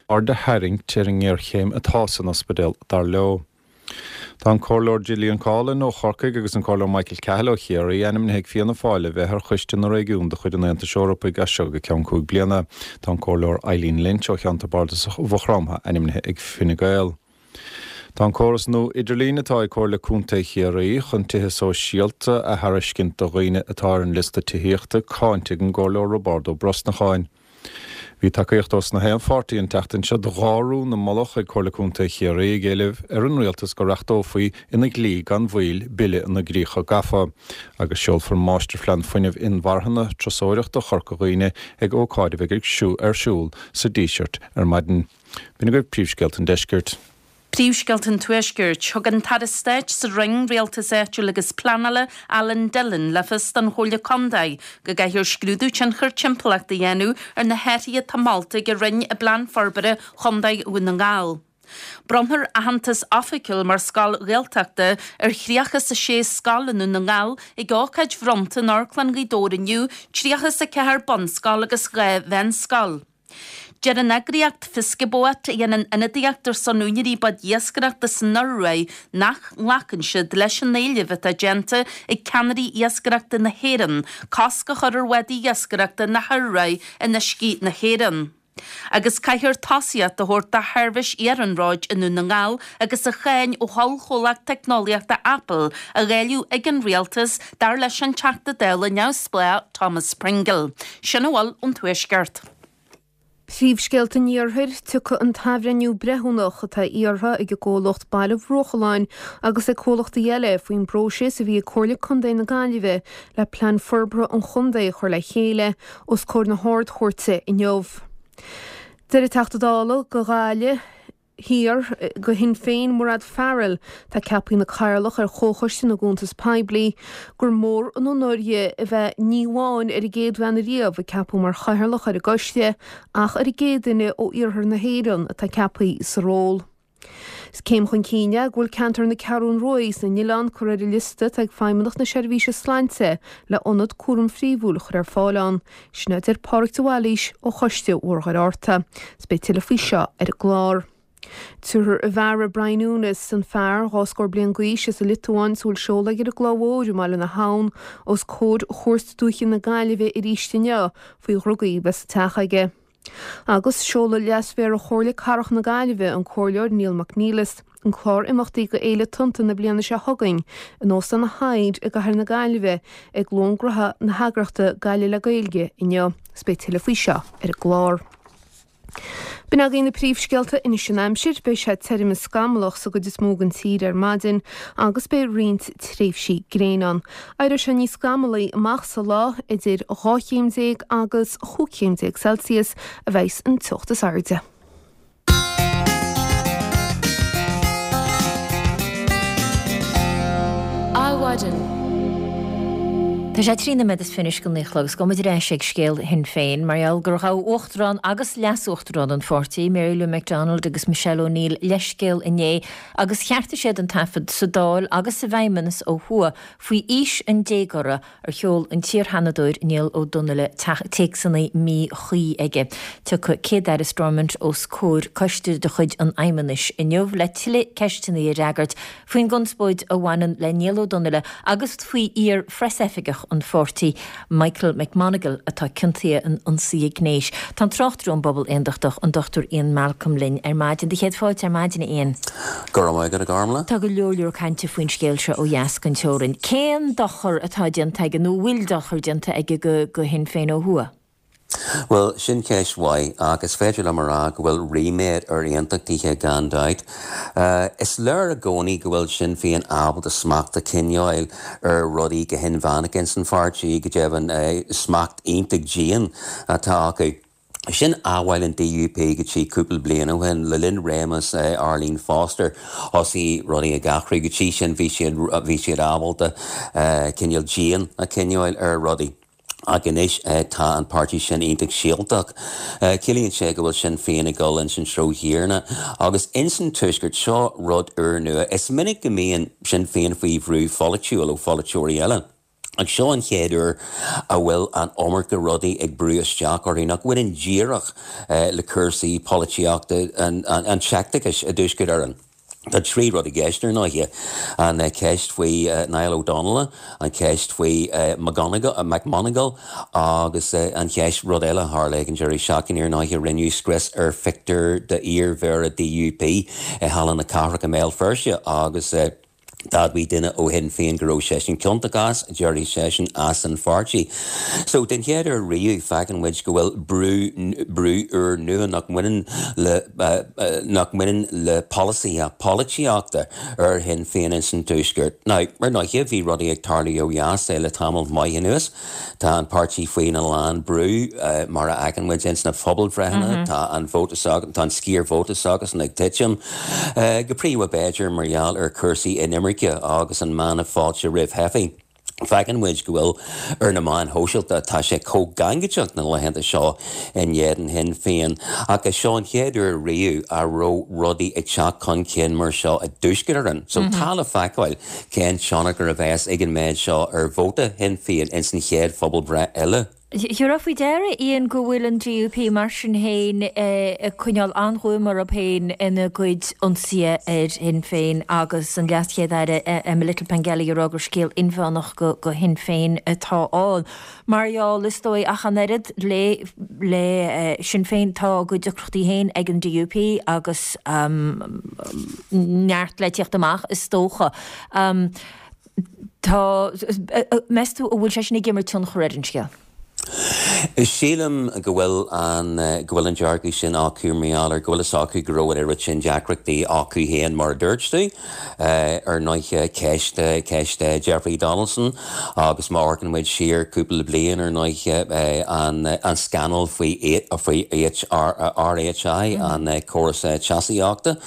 aird a tharraingt ar an ngéarchéim atá san ospidéal, dar leo. Tá an Comhairleoir Gillian Coughlan ó Chorcaigh agus an Comhairleoir Michael Cahill ó Chiarraí ainmnithe ag Fianna Fáil le bheith ar Choiste na Réigiún de chuid an Aontais Eorpaigh as seo go ceann 5 bliana. Tá an Comhairleoir Eileen Lynch ó cheantar bardasach Mhaigh Chromtha ainmnithe ag Fine Gael. Tá an córas nua idirlín atá ag Comhairle Contae Chiarraí chun tithe sóisialta a thairiscint do dhaoine atá ar an liosta tithíochta cáinte ag an gComhairleoir Roibeárd Ó Brosnacháin. Bhí tacaíocht ós na haon pháirtí an tseachtain seo do dhá rún a moladh ag Comhairle Contae Chiarraí ag éileamh ar an Rialtas go reachtófaí ina dhlí gan mhoill Bille na gCríocha Gafa agus seolfar Máistirphlean Fuinnimh Inmharthana Turasóireachta Chorca Dhuibhne ag ócáid a bheidh ar siúl sa Díseart ar maidin. B'in agaibh príomhscéalta an deiscirt. Príomhscéalta an Tuaiscirt, Thug an tAire Stáit sa Roinn Rialtais Áitiúil agus Pleanála, Alan Dillon, le fios don Chomhairle Contae go gcaithfear scrúdú tionchair timpeallachta a dhéanamh ar na hathruithe atá molta ag an Roinn i bPlean Forbartha Chontae Dhún na nGall. Bronnfar aitheantas oifigiúil mar scoil Ghaeltachta ar 36 scoil i nDún na nGall ag ócáid bhronnta in Amharclann Ghaoth Dobhair inniu, 34 bunscoil agus 2 mheánscoil. Deir an eagraíocht Fiskebåt, a dhéanann ionadaíocht ar son úinéirí bád iascaireachta san Ioruaidh, nach nglacann siad leis an éileamh atá déanta ag ceannairí iascaireachta na hÉireann cosc a chur ar bhádaí iascaireachta na hIoruaidh in uiscí na hÉireann. Agus caithfear tosaíocht a thabhairt do sheirbhís iarnróid i nDún na nGall agus an cháin ó ollchomhlacht teicneolaíochta Apple a dháileadh ag an rialtas, dar leis an Teachta Dála neamhspleách Thomas Pringle. Sin a bhfuil ón Tuaisceart. Príomhscéalta an Iarthair, Tiocfaidh an t-athbhreithniú breithiúnach atá iarrtha ag an gcomhlacht Baile Bhruachalláin agus ag comhlachtaí eile faoin bpróiseas a bhí ag Comhairle Contae na Gaillimhe le Plean Forbartha an Chontae a chur le chéile os comhair na hArd-Chúirte inniu. Deir an Teachta Dála do Ghaillimh Thiar do Shinn Féin, Mairéad Farrell, atá ceaptha ina cathaoirleach ar Chomhchoiste na gCuntas Poiblí, gur mór an onóir di a bheith ní amháin ar an gcéad bhean ariamh a ceapadh mar chathaoirleach ar an gcoiste ach ar an gcéad duine ó iarthar na hÉireann atá ceaptha sa ról. Is céim chun cinn é go bhfuil ceantar na Ceathrún Rua is na nOileán curtha ar an liosta atá ag Feidhmeannacht na Seirbhíse Sláinte le ionad cúraim phríomhúil a chur ar fáil ann. Sin a deir Pádraig de Bhailís ó Choiste Mhuir Fhearta. Is beidh tuilleadh faoi seo ar an gclár. Tabharfar an Mhéara Brian Younis, an fear, 22 scór bliain d'aois, as an Liotuáin is a bhfuil seoladh aige ar an gCloich Mhóir i mBaile na hAbhann, os comhair Chúirt Dúiche na Gaillimhe arís inniu faoi dhrugaí a bheith sa teach aige. Agus seolfaidh Leas-Mhéara Chomhairle Cathrach na Gaillimhe, an Comhairleoir Neil McNeilus, an clár imeachtaí do Fhéile Tonnta na bliana seo chugainn in Óstán an Hyde i gCathair na Gaillimhe ag Lón Gnaithe na heagraíochta Gaillimh le Gaeilge inniu. Is beidh tuilleadh faoi seo ar an gclár. B'in agaibh na príomhscéalta anois an aimsir. Beidh sé tirim is scamallach sa gcuid is mó den tír ar maidin agus beidh roinnt tréimhsí gréine ann. Éireoidh sé níos scamallaí amach sa lá, idir 12 chéim agus 15 chéim Celsius a bheas an teocht is airde. Adhmhaidin. Tá sé 13 nóiméad anois go naoi a chlog agus gabhfaidh muid ar ais ag scéal Shinn Féin mar gheall gur ghabh Uachtarán agus Leas-Uachtarán an pháirtí, Mary Lou McDonald agus Michelle O'Neill leithscéal inné agus cheartaigh siad an taifead sa Dáil agus sa bhFeidhmeannas ó thuaidh faoi aois an déagóra ar sheol an t-iar-Sheanadóir Niall Ó Donnaile téacsanna míchuí aige. Tiocfaidh Céad-Aire Stormont os comhair coiste de chuid an Fheidhmeannais inniu le tuilleadh ceisteanna a fhreagairt faoin gconspóid a bhaineann le Niall Ó Donnaile agus faoi iar-phreasoifigeach an pháirtí, Michael McMonagle, atá ciontaithe in ionsaithe gnéis. Tá an tráchtaire ón bPobal Aondachtach, an Dr Ian Malcolm linn ar maidin. Do chéad fáilte ar maidin, a Ian. Go raibh maith agat, a Ghormlaith. Tá go leor leor cainte faoin scéal seo ó dheas den teorainn. Cén dochar atá déanta aige, nó an bhfuil dochar déanta aige go Shinn Féin ó thuaidh? Bhuel, sin ceist mhaith, ach is féidir liom a rá go bhfuil ríméad ar aontachtaithe gan dabht. Is léir i gcónaí go bhfuil Sinn Féin ábalta smacht a choinneáil ar rudaí go hinmheánach ins an pháirtí, go deimhin smacht iontach dian atá acu. Sin amhail an DUP go dtí cúpla bliain ó shin. Le linn réimeas Arlene Foster, thosaigh rudaí ag athrú. Go dtí sin bhí siad bhí siad ábalta cineál díon a choinneáil ar rudaí. Ach anois tá an páirtí sin iontach sioltach. Ciallaíonn sé go bhfuil Sinn Féin ag dul ins an treo chéanna. Agus ins an Tuaisceart, seo rud úrnua. Is minic go mbíonn Sinn Féin faoi bhrú pholaitiúil ó pholaiteoirí eile. Ach seo an chéad uair a bhfuil an iomarca rudaí ag brú isteach orthu nach bhaineann díreach le cúrsaí polaitíochta an tseicteachais i dTuaisceart Éireann. Tá trí rud i gceist, ar ndóighe, an cheist faoi Niall Ó Donnaile, an cheist faoi McMonagle agus an cheist, rud eile a tharla ag an deireadh seachtaine, ar ndóighe, rinneadh scrios ar phictiúr d'iar-mhéara DUP i Halla na Cathrach i mBéal Feirste agus. D'admhaigh duine ó Shinn Féin go raibh seisean ciontach as, d'éirigh seisean as an pháirtí. So, den chéad uair riamh, feiceann muid go bhfuil brú, brú úr nua nach mbaineann le, nach mbaineann le polasaithe polaitíochta ar Shinn Féin ins an Tuaisceart. Now, ar ndóighe, bhí rudaí ag tarlú ó dheas le tamall maith anuas. Tá an páirtí faoina lán brú, mar a fheiceann muid ins na pobalbhreitheanna. Tá an vóta s'acu, tá an sciar vóta s'acusan ag titim, go príomha b'fhéidir mar gheall ar chúrsaí inimirce agus an mana fáilte roimh theifigh. Feiceann muid go bhfuil ar na meáin shóisialta, tá sé chomh gangaideach na laethanta seo in éadan Shinn Féin. Ach is seo an chéad uair riamh a raibh rudaí ag teacht chun cinn mar seo i dTuaisceart Éireann. So tá le feiceáil. Cén tionchar a bheas ag an méid seo ar vóta Shinn Féin ins an chéad phobalbhreith eile? Thabharfá faoi deara, Ian, go bhfuil an DUP mar sin féin ag coinneáil an-ghuaim orthu féin ina gcuid ionsaithe ar Shinn Féin agus an LeasChéad-Aire Emma Little Pengelly ag rá gur scéal inmheánach do Shinn Féin atá ann. Mar gheall, is dóigh, ach an oiread le le Sinn Féin, tá a gcuid deacrachtaí féin ag an DUP agus neart le tíocht amach, is dócha. Tá, meas tú an bhfuil sé sin ag imirt tionchar ar an scéal? Sílim go bhfuil an, go bhfuil an dearcadh sin acu mar gheall ar go bhfuil fhios acu go raibh an oiread sin deacrachtaí acu féin mar a dúirt tú. Ar ndóighe, ceist, ceist Jeffrey Donaldson agus má amharcann muid siar cúpla bliain, ar ndóighe, an, an scannal faoi, faoi RHI, an córas teasaíochta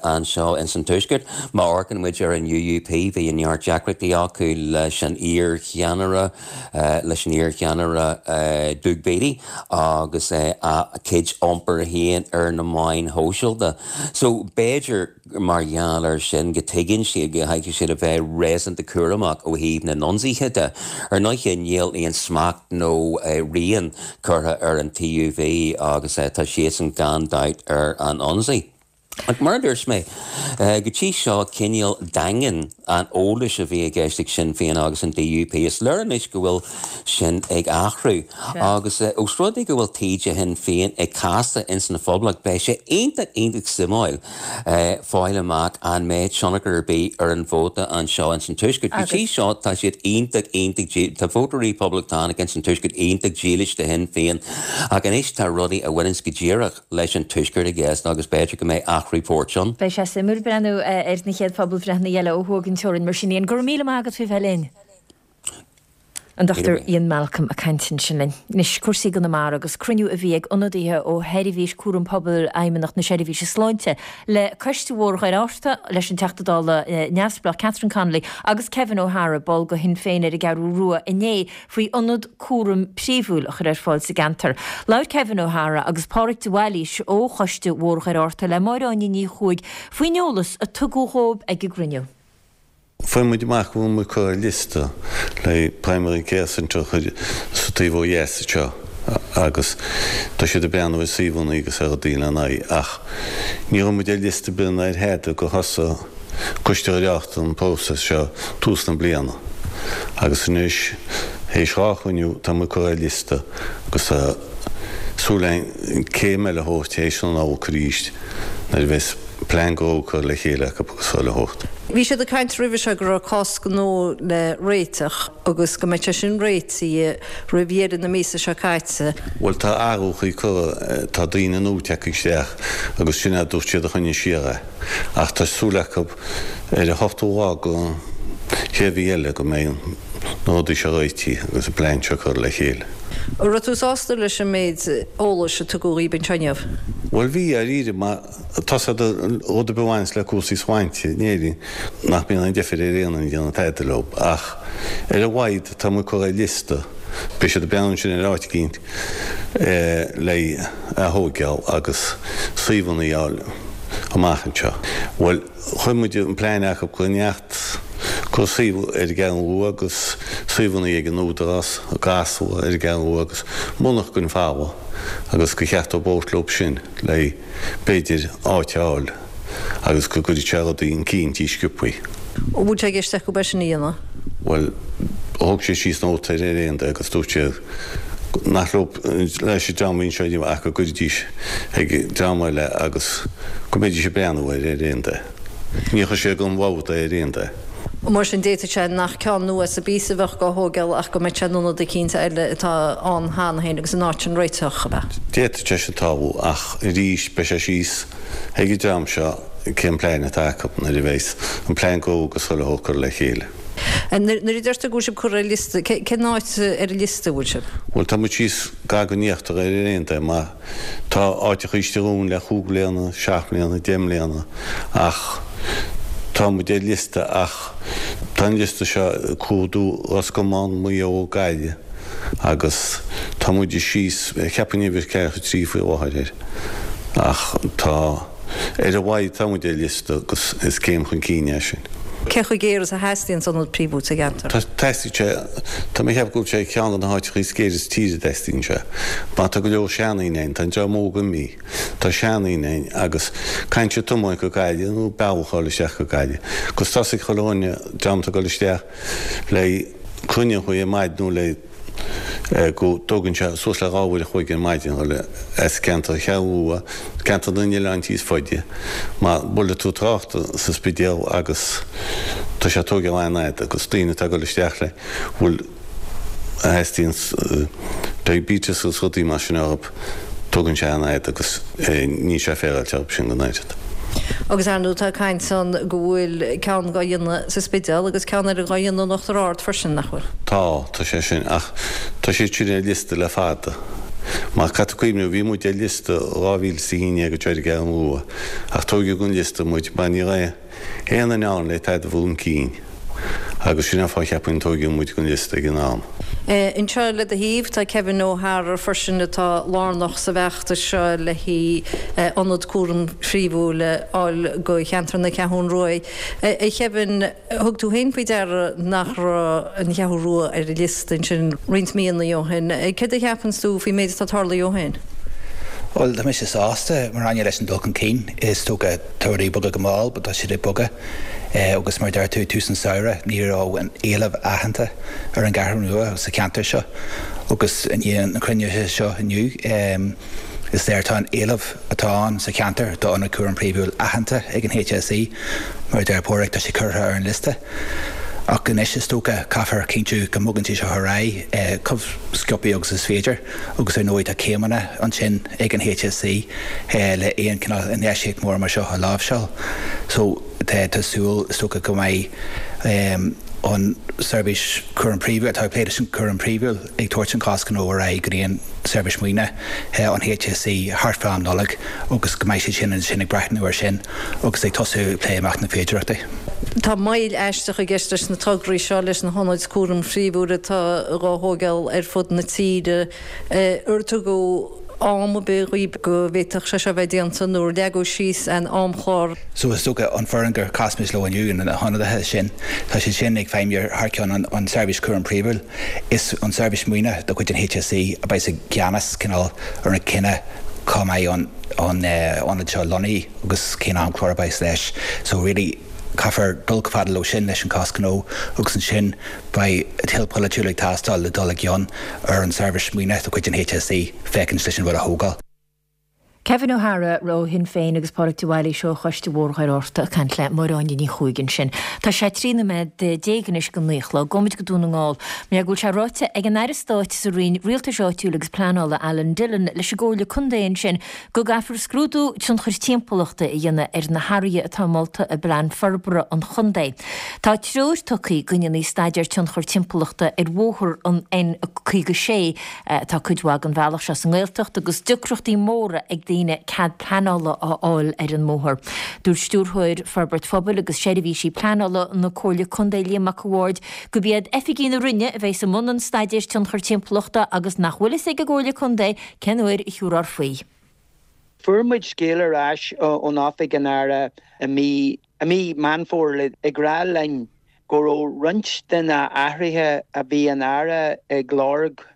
anseo ins an Tuaisceart. Má amharcann muid ar an UUP, bhí neart deacrachtaí acu leis an iar-cheannaire, leis an iar-cheannaire Doug Beattie agus a chuid iompair féin ar na meáin shóisialta. So, b'fhéidir, mar gheall air sin, go dtuigeann siad go gcaithfidh siad a bheith réasúnta cúramach ó thaobh na n-ionsaithe de. Ar ndóighe, níl aon smacht nó rian curtha ar an TUV agus tá siadsan gan dabht ar an ionsaí. Ach mar a dúirt mé, go dtí seo, cineál daingean an eolais a bhí i gceist ag Sinn Féin agus an DUP. Is léir anois go bhfuil sin ag athrú. Agus ós rud é go bhfuil taoide Shinn Féin ag casadh ins an Phoblacht, beidh sé iontach, iontach suimiúil fáil amach an mbeidh tionchar ar bith ar an vóta anseo ins an Tuaisceart. Go dtí seo tá siad iontach, iontach, tá vótóirí Poblachtánacha ins an Tuaisceart iontach dílis do Shinn Féin. Ach anois tá rudaí a bhaineanns go díreach leis an Tuaisceart i gceist agus b'fhéidir go mbeidh athrú poirt ann. Beidh sé suimiúil breathnú ar na chéad phobalbhreitheanna eile ó thuaidh den teorainn mar sin. Ian, go raibh míle maith agat faoi bheith linn. An Dr Ian Malcolm ag caint ansin linn. Anois, cúrsaí i gConamara agus cruinniú a bhí ag ionadaithe ó Sheirbhís Cúram Pobail Fheidhmeannacht na Seirbhíse Sláinte le Coiste Bhóthar Dhoire Fhatharta, leis an Teachta Dála neamhspleách Catherine Connolly agus Kevin O'Hara, ball de Shinn Féin ar an gCeathrú Rua inné faoi ionad cúraim príomhúil a chur ar fáil sa gceantar. Labhair Kevin O'Hara agus Pádraig de Bhailís ó Choiste Bhóthar Dhoire Fhatharta le Máire Áine Ní Chuaig faoin eolas a tugadh dhóibh ag an gcruinniú. Fuair muid amach go bhfuil muid curtha ar liosta le primary care centre a chur sa taobh ó dheas anseo agus tá siad ag breathnú ar suíomhanna agus ar rudaí lena aghaidh ach ní raibh muid ar liosta ar bith ná ar thada gur thosaigh Coiste Dhoire Fhatharta an próiseas seo tús na bliana agus anois théis 2 chruinniú tá muid curtha ar liosta agus tá súil againn céim eile a thabhairt théis na Nollag arís nuair a bheas plean gnó curtha le chéile acu agus chuile shórt. Bhí siad ag caint roimhe seo go raibh cás gnó le réiteach agus go mbeadh sé sin réitithe roimh dheireadh na míosa seo caite. Bhuel tá athrúchaí curtha, tá daoine nua tagtha isteach agus sin é a dúirt siad a choinnigh siar é. Ach tá súil acu ar an ochtú lá den chéad mhí eile go mbeidh na rudaí seo réitithe agus an plean seo curtha le chéile. An raibh tú sásta leis an méid eolais a tugadh dhaoib anseo inniu? Bhuel bhí, dáiríre, mar tá a fhios agat rud ar bith a bhaineas le cúrsaí sláinte in Éirinn nach mbíonn aon deifir ar aon duine ag déanamh tada leo. Ach ar a laghad tá muid curtha ar liosta. Beidh siad ag breathnú ansin ar áit eicínt le a thóigeáil agus suíomhanna a fháil amach anseo. Bhuel, chuir muid an plean acu go neart go suíomh ar an gCeathrú Rua agus suíomhanna ag an Údarás i gCasla ar an gCeathrú Rua agus monarcha folamh agus gur cheart dóibh labhairt leo sin le b'fhéidir áit a fháil agus go gcuirfeadh sé rudaí chun cinn sciobthaí. An bhfuil sé i gceist acu é sin a dhéanamh? Bhuel, thóg sé síos nóta air ar aon dóigh agus dúirt sé nach leo, leis an dream a bhí anseo inniu ach go gcuirfidís ag dream eile agus go mbeidís ag breathnú air ar aon dóigh. Ní chuir sé den bhord é ar aon dóigh. Mar sin, d'fhéadfadh sé nach ceann nua sa bpíosa a bheadh dhá thógáil ach go mbeadh sé in ionad eicínt eile atá ann cheana féin agus in áit sin réiteach, ab ea? D'fhéadfadh sé sin tarlú ach arís beidh sé síos ag an dream seo cén plean atá acu nuair a bheas an plean gnó agus chuile shórt curtha le chéile. Nuair a deir tú go bhfuil sibh curtha ar liosta, cén áit ar an liosta a bhfuil sibh? Bhuel tá muid síos gar don íochtar ar aon dóigh mar Tá áiteacha istigh ann le chúig bliana, seacht mbliana, deich mbliana ach tá muid ar liosta ach tá an liosta seo ag clúdú Ros Comáin, Maigh Eo, Gaillimh agus tá muid síos, cheapfainn uimhir ceathracha 3 faoi láthair air ach tá, ar a laghad tá muid ar liosta agus is céim chun cinn é sin. Cé chomh géar is a theastaíonn ionad príomhúil sa gceantar? Teastaíonn sé, tá mé ag ceapadh go bhfuil sé ceann de na háiteacha is géire sa tír a dteastaíonn sé. Mar tá go leor seandaoine ann, tá an dream óg imithe, tá seandaoine ann agus caithfidh siad tiomáint go Gaillimh nó bealach a fháil isteach go Gaillimh. Agus tá a fhios ag chuile dhuine, dream atá ag dul isteach le cruinniú ar maidin nó le go dtógann sé suas le 2 uair a chloig ar maidin dhul as ceantar Cheathrú Rua, ceantar na n-oileán níos faide, mar buailfidh tú trácht sa Spidéal agus tá sé ag tógáil an-fhada agus daoine atá ag dul isteach le bhfuil a theastaíonn diabetes agus rudaí mar sin orthu, tógann sé an-fhada agus níl sé féaráilte orthu sin go n-oiread. Agus ar ndóigh tá caint ann go bhfuil ceann dhá dhéanamh sa Spidéal agus ceann eile dhá dhéanamh in Uachtar Ard freisin, nach bhfuil? Tá, tá sé sin, ach tá siad sin ar liosta le fada. Mar caithfidh tú cuimhneamh, bhí muid ar liosta 2011 anseo ar an gCeathrú Rua, ach tóigeadh den liosta muid mar ní raibh aon duine ann le tada a bhur chun cinn. Agus sin an fáth cheapfainn tóigeadh muid den liosta ag an am. Anseo le do thaobh tá Kevin O'Hara freisin atá lárnach sa bhfeachtas seo le haghaidh ionad cúraim phríomhúil a fháil go cheantar na Ceathrún Rua. A Kevin, thug tú féin faoi deara nach raibh an Cheathrú Rua ar an liosta ansin roinnt míonna ó shin. Céard a cheapanns tú faoin méid atá tarlaithe ó shin? Bhuel, tá mise sásta, mar Áine, leis an dul chun cinn. Is dócha, tá rudaí ag bogadh go mall, but tá siad ag bogadh. Agus mar a deir tú, tús an samhradh, ní raibh an éileamh aitheanta ar an gCeathrú Rua sa cheantar seo agus i ndiaidh na cruinnithe seo inniu, is léir tá an éileamh atá ann sa cheantar d'ionad cúraim príomhúil aitheanta ag an HSE. Mar a deir Páraic, tá sé curtha ar an liosta. Ach anois is dócha caithfear cinntiú go mbogann sé seo ar aghaidh chomh sciobtha agus is féidir agus ar ndóigh tá céimeanna ansin ag an HSE le aon chineál infheistíocht mór mar seo a láimhseáil. So tá súil is dócha go mbeidh an seirbhís cúram príomhúil, atá ag plé leis an cúram príomhúil, ag tabhairt an cás gnó ar aghaidh go dtí an seirbhís maoine an HSE thart fá am Nollag agus go mbeidh siad sin ansin ag breathnú air sin agus ag tosú ag plé amach na féidearthachtaí. Tá moill aisteach i gceist leis na tograí seo, leis na hionaid cúraim phríomhúil atá dhá thógáil ar fud na tíre. Ar tugadh am ar bith dhaoib go bhféadfadh sé seo bheith déanta nó ar leagadh síos aon amchlár? So is dócha an foireann gur chas muid leo inniu, na hionadaithe sin, tá siad sin ag feidhmiú thar ceann an seirbhís cúraim príomhúil. Is an seirbhís maoine de chuid an HSE a bheas i gceannas cineál ar an chinneadh cá mbeidh an ionad seo lonnaithe agus cén amchlár a bheas leis. So really caithfear dul chomh fada leo sin leis an cás gnó agus ansin beidh toil polaitiúil ag teastáil le dul i gcion ar an seirbhís maoine de chuid an HSE féachaint leis an rud a thógáil. Kevin O'Hara ó Shinn Féin agus Pádraig de Bhailís ó Choiste Bhóthar Dhoire Fhatharta ag caint le Máire Áine Ní Chuaig ansin. Tá sé 13 nóiméad anois go 9 a chlog. Gabhfaimid go Dún na nGall. Mar go bhfuil sé ráite ag an Aire Stáit sa Roinn Rialtais Áitiúil agus Pleanála Alan Dillon leis an gComhairle Contae ansin go gcaithfear scrúdú tionchair timpeallachta a dhéanamh ar na hathruithe atá molta i bPlean Forbartha an Chontae. Tá treoir tugtha go ndéanfaí staidéar tionchar timpeallachta ar bhóthar an N56. Tá cuid mhaith den bhealach seo sa nGaeltacht agus deacrachtaí móra ag daoine cead pleanála a fháil ar an mbóthar. Dúirt Stiúrthóir Forbairt Phobail agus Seirbhísí Pleanála na Comhairle Contae Liam Mac a' Bhaird gurb iad oifigigh na Roinne a bheas i mbun an staidéir tionchar timpeallachta agus nach bhfuil fhios ag an gComhairle Contae cén uair a thiúrfar faoi. Fuair muid scéal ar ais ón Oifig an Aire i mí i mí Meán Fómhair ag rá linn go raibh roinnt de na athruithe a bhí an Aire ag lorg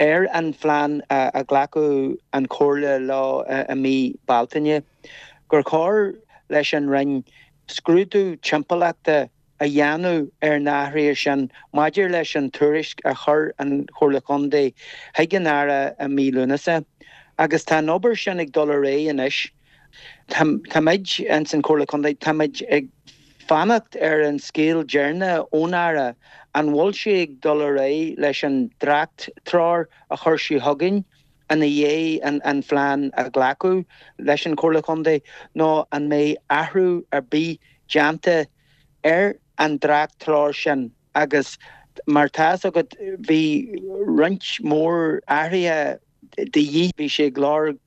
ar an phlean a glacadh an Chomhairle leo i mí Bealtaine, gur chóir leis an Roinn scrúdú timpeallachta a dhéanamh ar na hathruithe sin maidir leis an tuairisc a chuir an Chomhairle Chontae chuig an Aire i mí Lúnasa. Agus tá an obair sin ag dul ar aghaidh anois. Táimid ins an Chomhairle Contae, táimid ag fanacht ar an scéal deireanach ón Aire, an bhfuil sé ag dul ar aghaidh leis an dréacht-treoir a chuir sé chugainn ina dhiaidh an phlean a ghlacadh leis an Chomhairle Contae nó an mbeidh athrú ar bith déanta ar an dréacht-treoir sin agus mar tá fhios agat bhí roinnt mór athruithe de dhíth. Bhí sé ag lorg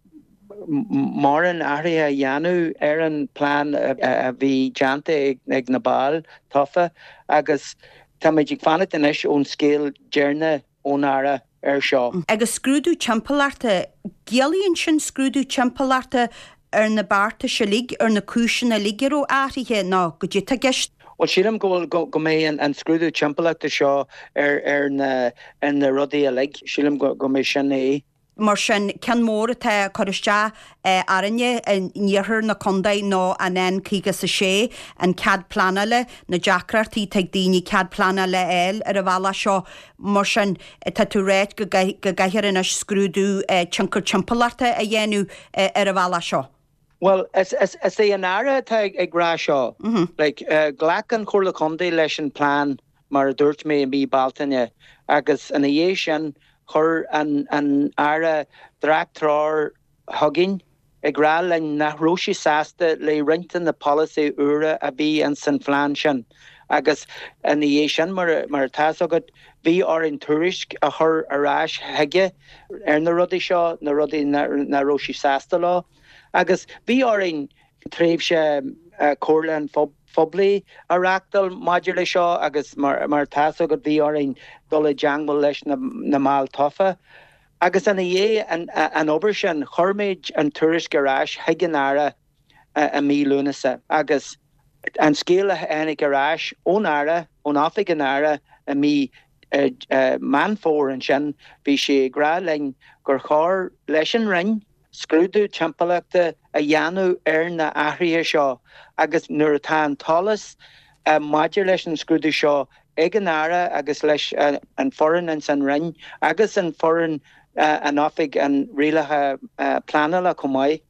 mórán athruithe a dhéanamh ar an bplean a bhí déanta ag na baill tofa agus táimid ag fanacht anois ón scéal deireanach ón Aire ar seo. Agus scrúdú timpeallachta, ciallaíonn sin scrúdú timpeallachta ar na beartais uilig, ar na cúiseanna uilig a raibh athraithe nó goidé atá i gceist? Bhuel, sílim go bhfuil, go mbeidh an scrúdú timpeallachta seo ar ar na ar na rudaí uilig. Sílim go go mbeidh sin é. Mar sin, ceann mór atá ag cur isteach orainne in iarthar na contae ná an N56, an cead pleanála, na deacrachtaí atá ag daoine cead pleanála a fháil ar an bhealach seo. Mar sin, tá tú ag ráit go gcaithfear anois scrúdú tionchar timpeallachta a dhéanamh ar an bhealach seo. Bhuel, is é an Aire atá ag rá seo. Like, ghlac an Chomhairle Contae leis an plean, mar a dúirt mé, i mí Bealtaine agus ina dhiaidh sin chuir an Aire dréacht-treoir chugainn ag rá linn nach raibh sé sásta le roinnt de na polasaithe úra a bhí ins an phlean sin agus ina dhiaidh sin, mar atá fhios agat, bhí orainn tuairisc a chur ar ais chuige ar na rudaí seo, na rudaí nach raibh sé sásta leo agus bhí orainn tréimhse comhairliúcháin phoiblí a reáchtáil maidir le seo agus mar atá fhios agat bhí orainn dul i dteangmháil leis na mbaill tofa. Agus ina dhiaidh an obair sin chuir muid an tuairisc ar ais chuig an Aire i mí Lúnasa agus an scéal a tháinig ar ais ón Aire, ón Oifig an Aire i mí Meán Fómhair ansin, bhí sé ag rá linn gur chóir leis an Roinn scrúdú timpeallachta a dhéanamh ar na athruithe seo agus nuair atá an t-eolas maidir leis an scrúdú seo ag an Aire agus leis an foireann ins an Roinn agus an foireann in Oifig an Rialaithe Pleanála chomh maith.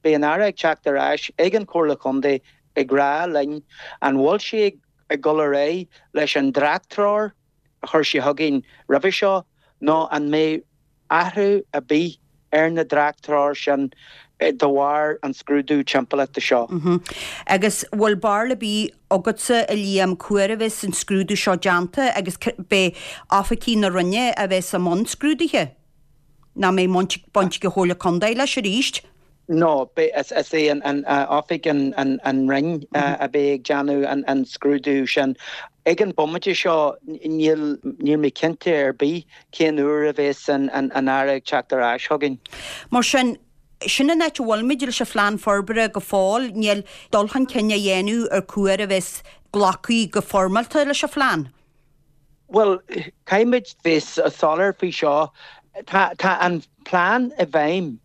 Beidh an Aire ag teacht ar ais ag an Chomhairle Chontae ag rá linn an bhfuil sé ag dul ar aghaidh leis an dréacht-treoir a chuir sé chugainn roimhe seo nó an mbeidh athrú ar bith ar na dréacht-treoir sin de bharr an scrúdú timpeallachta seo. Agus bhfuil barúil ar bith agatsa, a Liam, cá huair a bheas an scrúdú seo déanta agus beidh oifigigh na Roinne a bheas i mbun scrúdaithe? Nó an mbeidh baint ag an Chomhairle Contae leis arís? No, is é an oifig an Roinn a bheidh ag déanamh an scrúdú sin. Ag an bomaite seo níl mé cinnte ar bith cén uair a bheas an Aire ag teacht ar ais chugainn. Mar sin, sin an áit a bhfuilimid leis an phlean forbartha go fóill, níl dul chun cinn á dhéanamh ar cá huair a bheas glacadh go foirmeálta leis an phlean. Bhuel, caithfimid bheith soiléir faoi seo, tá an plean i bhfeidhm.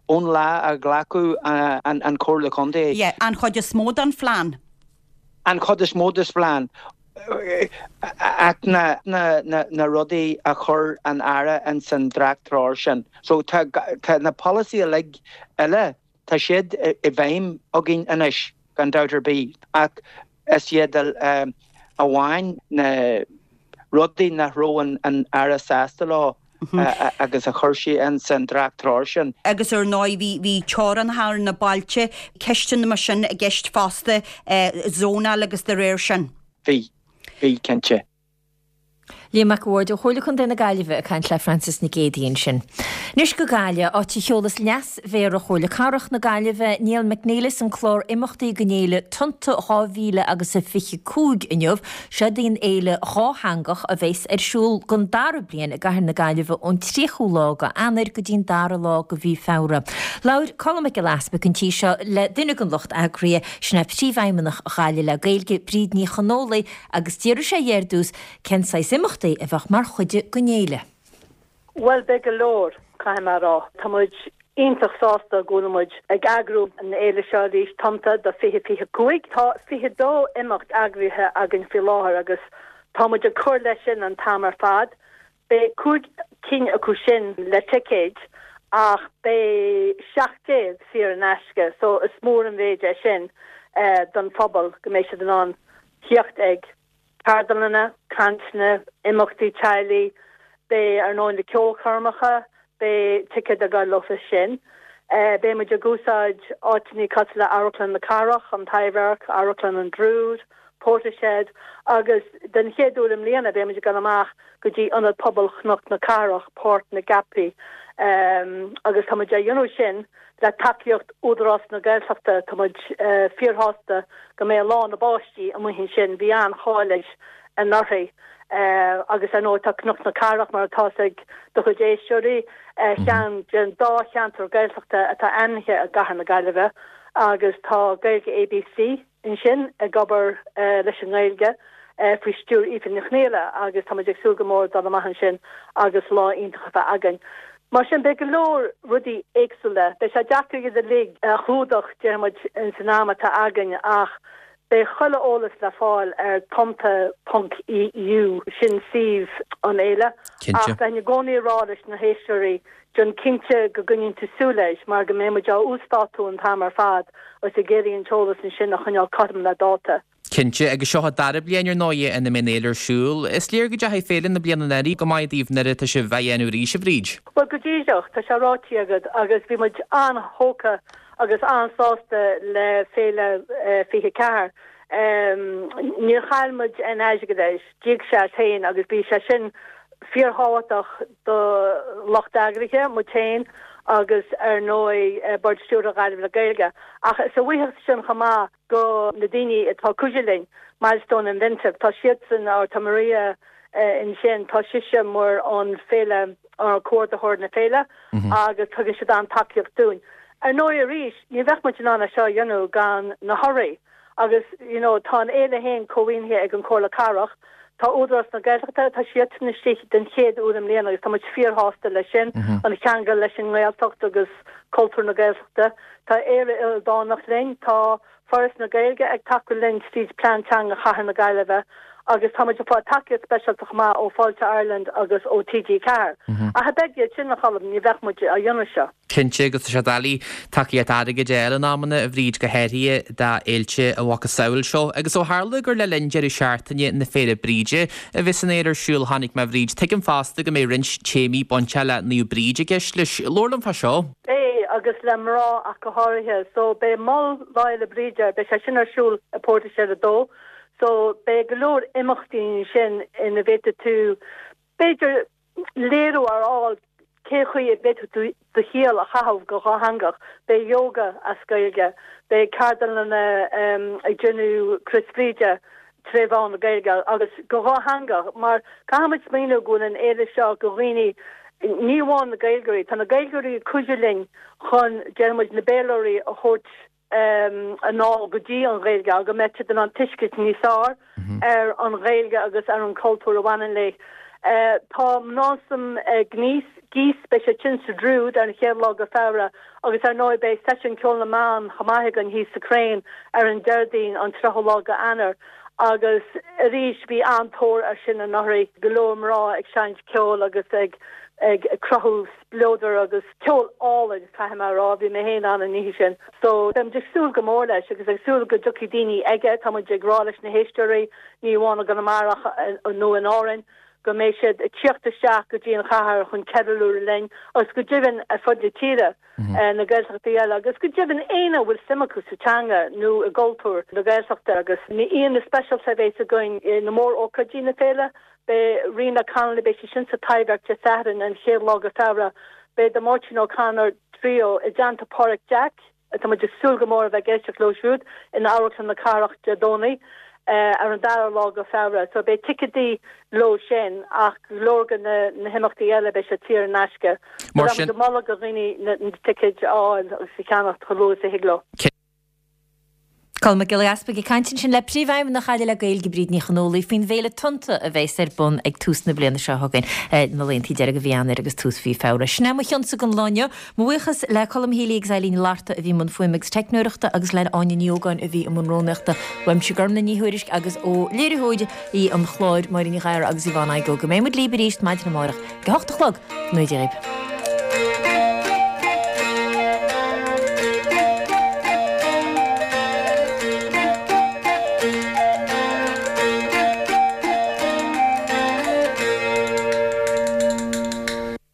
ón lá a ghlacadh an Chomhairle Contae. Yeah, an chuid is mó den phlean. An chuid is mó den phlean. Ach na na rudaí a chuir an Aire ins an dréacht-treoir sin. So tá tá na polasaithe uilig eile, tá siad i bhfeidhm againn anois, gan dabht ar bith. Ach Is iad amháin na rudaí nach raibh an Aire sásta leo agus a chuir sé ins an dréacht-treoir sin. Agus ar ndóigh bhí bhí teorainneacha ar na bailte, ceisteanna mar sin i gceist fosta, zónáil agus dá réir sin. Bhí, bhí, cinnte. Liam Mac a' Bhaird ó Chomhairle Contae na Gaillimhe ag caint le Frances Nic Géadaigh ansin. Anois go Gaillimh, áit a sheolas Leas-Mhéara Chomhairle Cathrach na Gaillimhe, Niall McNelis an clár imeachtaí don fhéile Tonnta 2000 agus a 25 inniu. Seod í an fhéile dhátheangach a bheas ar siúl don dara bliain i gcathair na Gaillimhe ón 30ú lá go Eanáir go dtí'n dara lá go mhí Feabhra. Labhair Colm Mac Giolla Easpaig an tí seo le duine den lucht eagraithe, sin é Príomhfheidhmeannach Ghaillimh le Gaeilge, Bríd Ní Chonfhaola, Agus d'fhiafraigh sé dhe ar dtús cén saghas imeachtaí a bheadh mar chuid den fhéile. Bhuel, beidh go leor, caithfidh mé a rá. Tá muid iontach sásta go bhfuil muid ag eagrú an fhéile seo arís, Tonnta do 2025. Tá 22 imeacht eagraithe againn faoi láthair agus tá muid ag cur leis sin an t-am ar fad. Beidh 5 cinn acu sin le ticéid. Ach beidh 700 saor in aisce so is mór an mhéid é sin don phobal go mbeidh siad in ann theacht ag ceardlanna, cainteanna, imeachtaí teaghlaigh, beidh ar ndóigh na ceolchoirmeacha, beidh ticéad ag dul leofa sin. Beidh muid ag úsáid áiteanna cosúil le Amharclann na Cathrach, an Taibhdhearc, Amharclann an Druid, Portishead agus den chéad uair i mbliana beidh muid ag dul amach go dtí Ionad Pobail Chnoc na Cathrach, Páirc na gCeapaí agus tá muid á dhéanamh sin le tacaíocht Údarás na Gaeltachta. Tá muid fíorshásta go mbeidh Lá na bPáistí amuigh ansin, bhí an-cháil air anuraidh agus ar ndóigh tá Cnoc na Cathrach, mar atá fhios ag do chuid éisteoirí, ar cheann den dá cheantar Gaeltachta atá ainmnithe i gCathair na Gaillimhe agus tá Gaeilge ABC. ansin ag obair leis an nGaeilge faoi stiúir Aoife Ní Chonghaile agus tá muid ag súil go mór dul amach ansin agus lá iontach a bheith againn. Mar sin beidh go leor rudaí éagsúla. Beidh sé deacair iad uilig a chlúdach, déarfaidh muid, ins an am atá againn ach beidh chuile eolas le fáil ar tonnta ponc EU, sin suíomh an fhéile. Ach bheinn i gcónaí ag rá leis na héisteoirí Déan cinnte go gcoinníonn tú súil air mar go mbeidh muid á uasdátú an t-am ar fad agus ag iarraidh an t-eolas ansin a choinneáil cothrom le dáta. Cinnte, agus seo an dara bliain ar ndóigh ina mbeidh an fhéile ar siúl. Is léir go dteachaigh féile na bliana anuraidh go maith daoibh nuair atá sibh á dhéanamh arís, a Bhríd. Bhuel, go díreach, tá sé ráite agat agus bhí muid an-thógtha agus an-sásta le Féile 24. Níor chaill muid aon airgead air. D'íoc sé as féin agus bhí sé sin fíorthábhachtach do lucht eagraithe, muid féin agus ar ndóigh Bord Stiúrtha Ghaillimh le Gaeilge. Ach is a bhuíochas sin chomh maith go na daoine atá ag cuidiú linn, Milestone Inventive, tá siadsan, or tá Maria ansin, tá sise mar an féile, comhordaitheoir na féile agus tugann siad an-tacaíocht dúinn. Ar ndóigh arís, ní bheadh muid in ann é seo a dhéanamh gan na hurraí. Agus you know tá an fhéile féin cómhaoinithe ag an Comhairle Cathrach, tá Údarás na Gaeltachta, tá siadsan istigh den chéad uair i mbliana agus tá muid fíorshásta leis sin, an cheangal leis an nGaeltacht agus cultúr na Gaeltachta. Tá Éire Ildánach linn, tá Foras na Gaeilge ag tacú linn tríd Plean Teanga Chathair na Gaillimhe agus tá muid ag fáil tacaíocht speisialta chomh maith ó Fáilte Ireland agus ó TG4. Ach cha bheadh iad sin, a Cholm, ní bheadh muid á dhéanamh seo. Cinnte, agus tá sé doiligh tacaíocht airgid a fháil in amanna, a Bhríd, go háirithe d'fhéilte a mhacasamhail seo. Agus ó tharla gur le linn deireadh seachtaine na Féile Bríde a bheas an fhéile ar siúl, chonaic mé, a Bhríd, tuigim fosta go mbeidh roinnt téamaí bainteach le Naomh Bríd i gceist leis. Labhair liom fá seo. Beidh, agus le mná ach go háirithe. So, beidh Mol Lá Fhéile Bríde, beidh sé sin ar siúl i Portishead 2. So, beidh go leor imeachtaí ansin ina bhféadfaidh tú, b'fhéidir, léiriú a fháil cé chaoi a bhféadfadh tú do shaol a chaitheamh go dhátheangach. Beidh yoga as Gaeilge, beidh ceardlanna ag déanamh Crios Bhríde tré mheán na Gaeilge agus go dhátheangach mar caithfidh muid smaoineamh go bhfuil an fhéile seo go dhaoine ní amháin na Gaeilgeoirí, tá na Gaeilgeoirí ag cuidiú linn chun déarfaidh muid na Béarlóirí a thabhairt anall go dtí an Ghaeilge agus go mbeidh siad in ann tuiscint níos fearr ar an Ghaeilge agus ar an chultúr a bhaineann léi. Tá Mnásam Gníos, Gís, beidh sé sin sa Druid ar an chéad lá go Feabhra agus ar ndóigh beidh seisiún Ceol na mBan chomh maith againn thíos sa Crane ar an Déardaoin an 30ú lá go Eanáir agus arís bhí an-tóir air sin anuraidh, go leor mná ag seinnt ceoil agus ag ag cruthú spleodar agus ceol álainn, caithfidh mé a rá, bhí mé féin ann an oíche sin. So, beimid ag súil go mór leis agus ag súil go dtiocfaidh daoine aige. Tá muid ag rá leis na héisteoirí, ní amháin i gConamara nó in Árainn, go mbeidh siad ag tíocht isteach go dtí an chathair chun ceiliúradh linn agus go deimhin ar fud na tíre, na Gaeltachtaí eile agus go deimhin éinne a bhfuil suim acu sa teanga nó i gcultúr na Gaeltachta agus na aíonna speisialta a bheas againn na mór-ócáidí na féile. Beidh Ríona Connolly, beidh sí sin sa Taibhdhearc Dé Sathairn an chéad lá go Feabhra. Beidh The Máirtín O'Connor Trio i dteannta Páraic Jack, tá muid ag súil go mór a bheith ag éisteacht leo siúd, in Amharclann na Cathrach Dé Domhnaigh ar an dara lá go Feabhra. So beidh ticéadaí leo sin ach go leor de na himeachtaí eile beidh siad saor in aisce. So tá muid ag moladh do dhaoine na ticéid a fháil agus a cheannacht chomh luath is a thig leo. Colm Mac Giolla Easpaig ag caint ansin le Príomhfheidhmeannach Ghaillimh le Gaeilge, Bríd Ní Chonfhaola, faoin bhféile Tonnta a bheas ar bun ag tús na bliana seo chugainn, na laethanta deiridh de mhí Eanáir agus tús mhí Feabhra. Sin é mo chionsa don lá inniu. Mo bhuíochas le Colm Healy agus Eileen Ní Fhlatharta a bhí i mbun fuaime agus teicneoireachta agus le Áine Ní Ógáin a bhí i mbun rúnaíochta. Uaimse Gormlaith Ní Thuairisg agus ó léiritheoirí an chláir, Máire Ní Ghadhra agus Yvonne Igoe. Go mbeidh muid libh arís maidin amárach ag a hocht a chlog. Go ngnóthaí Dia dhaoibh.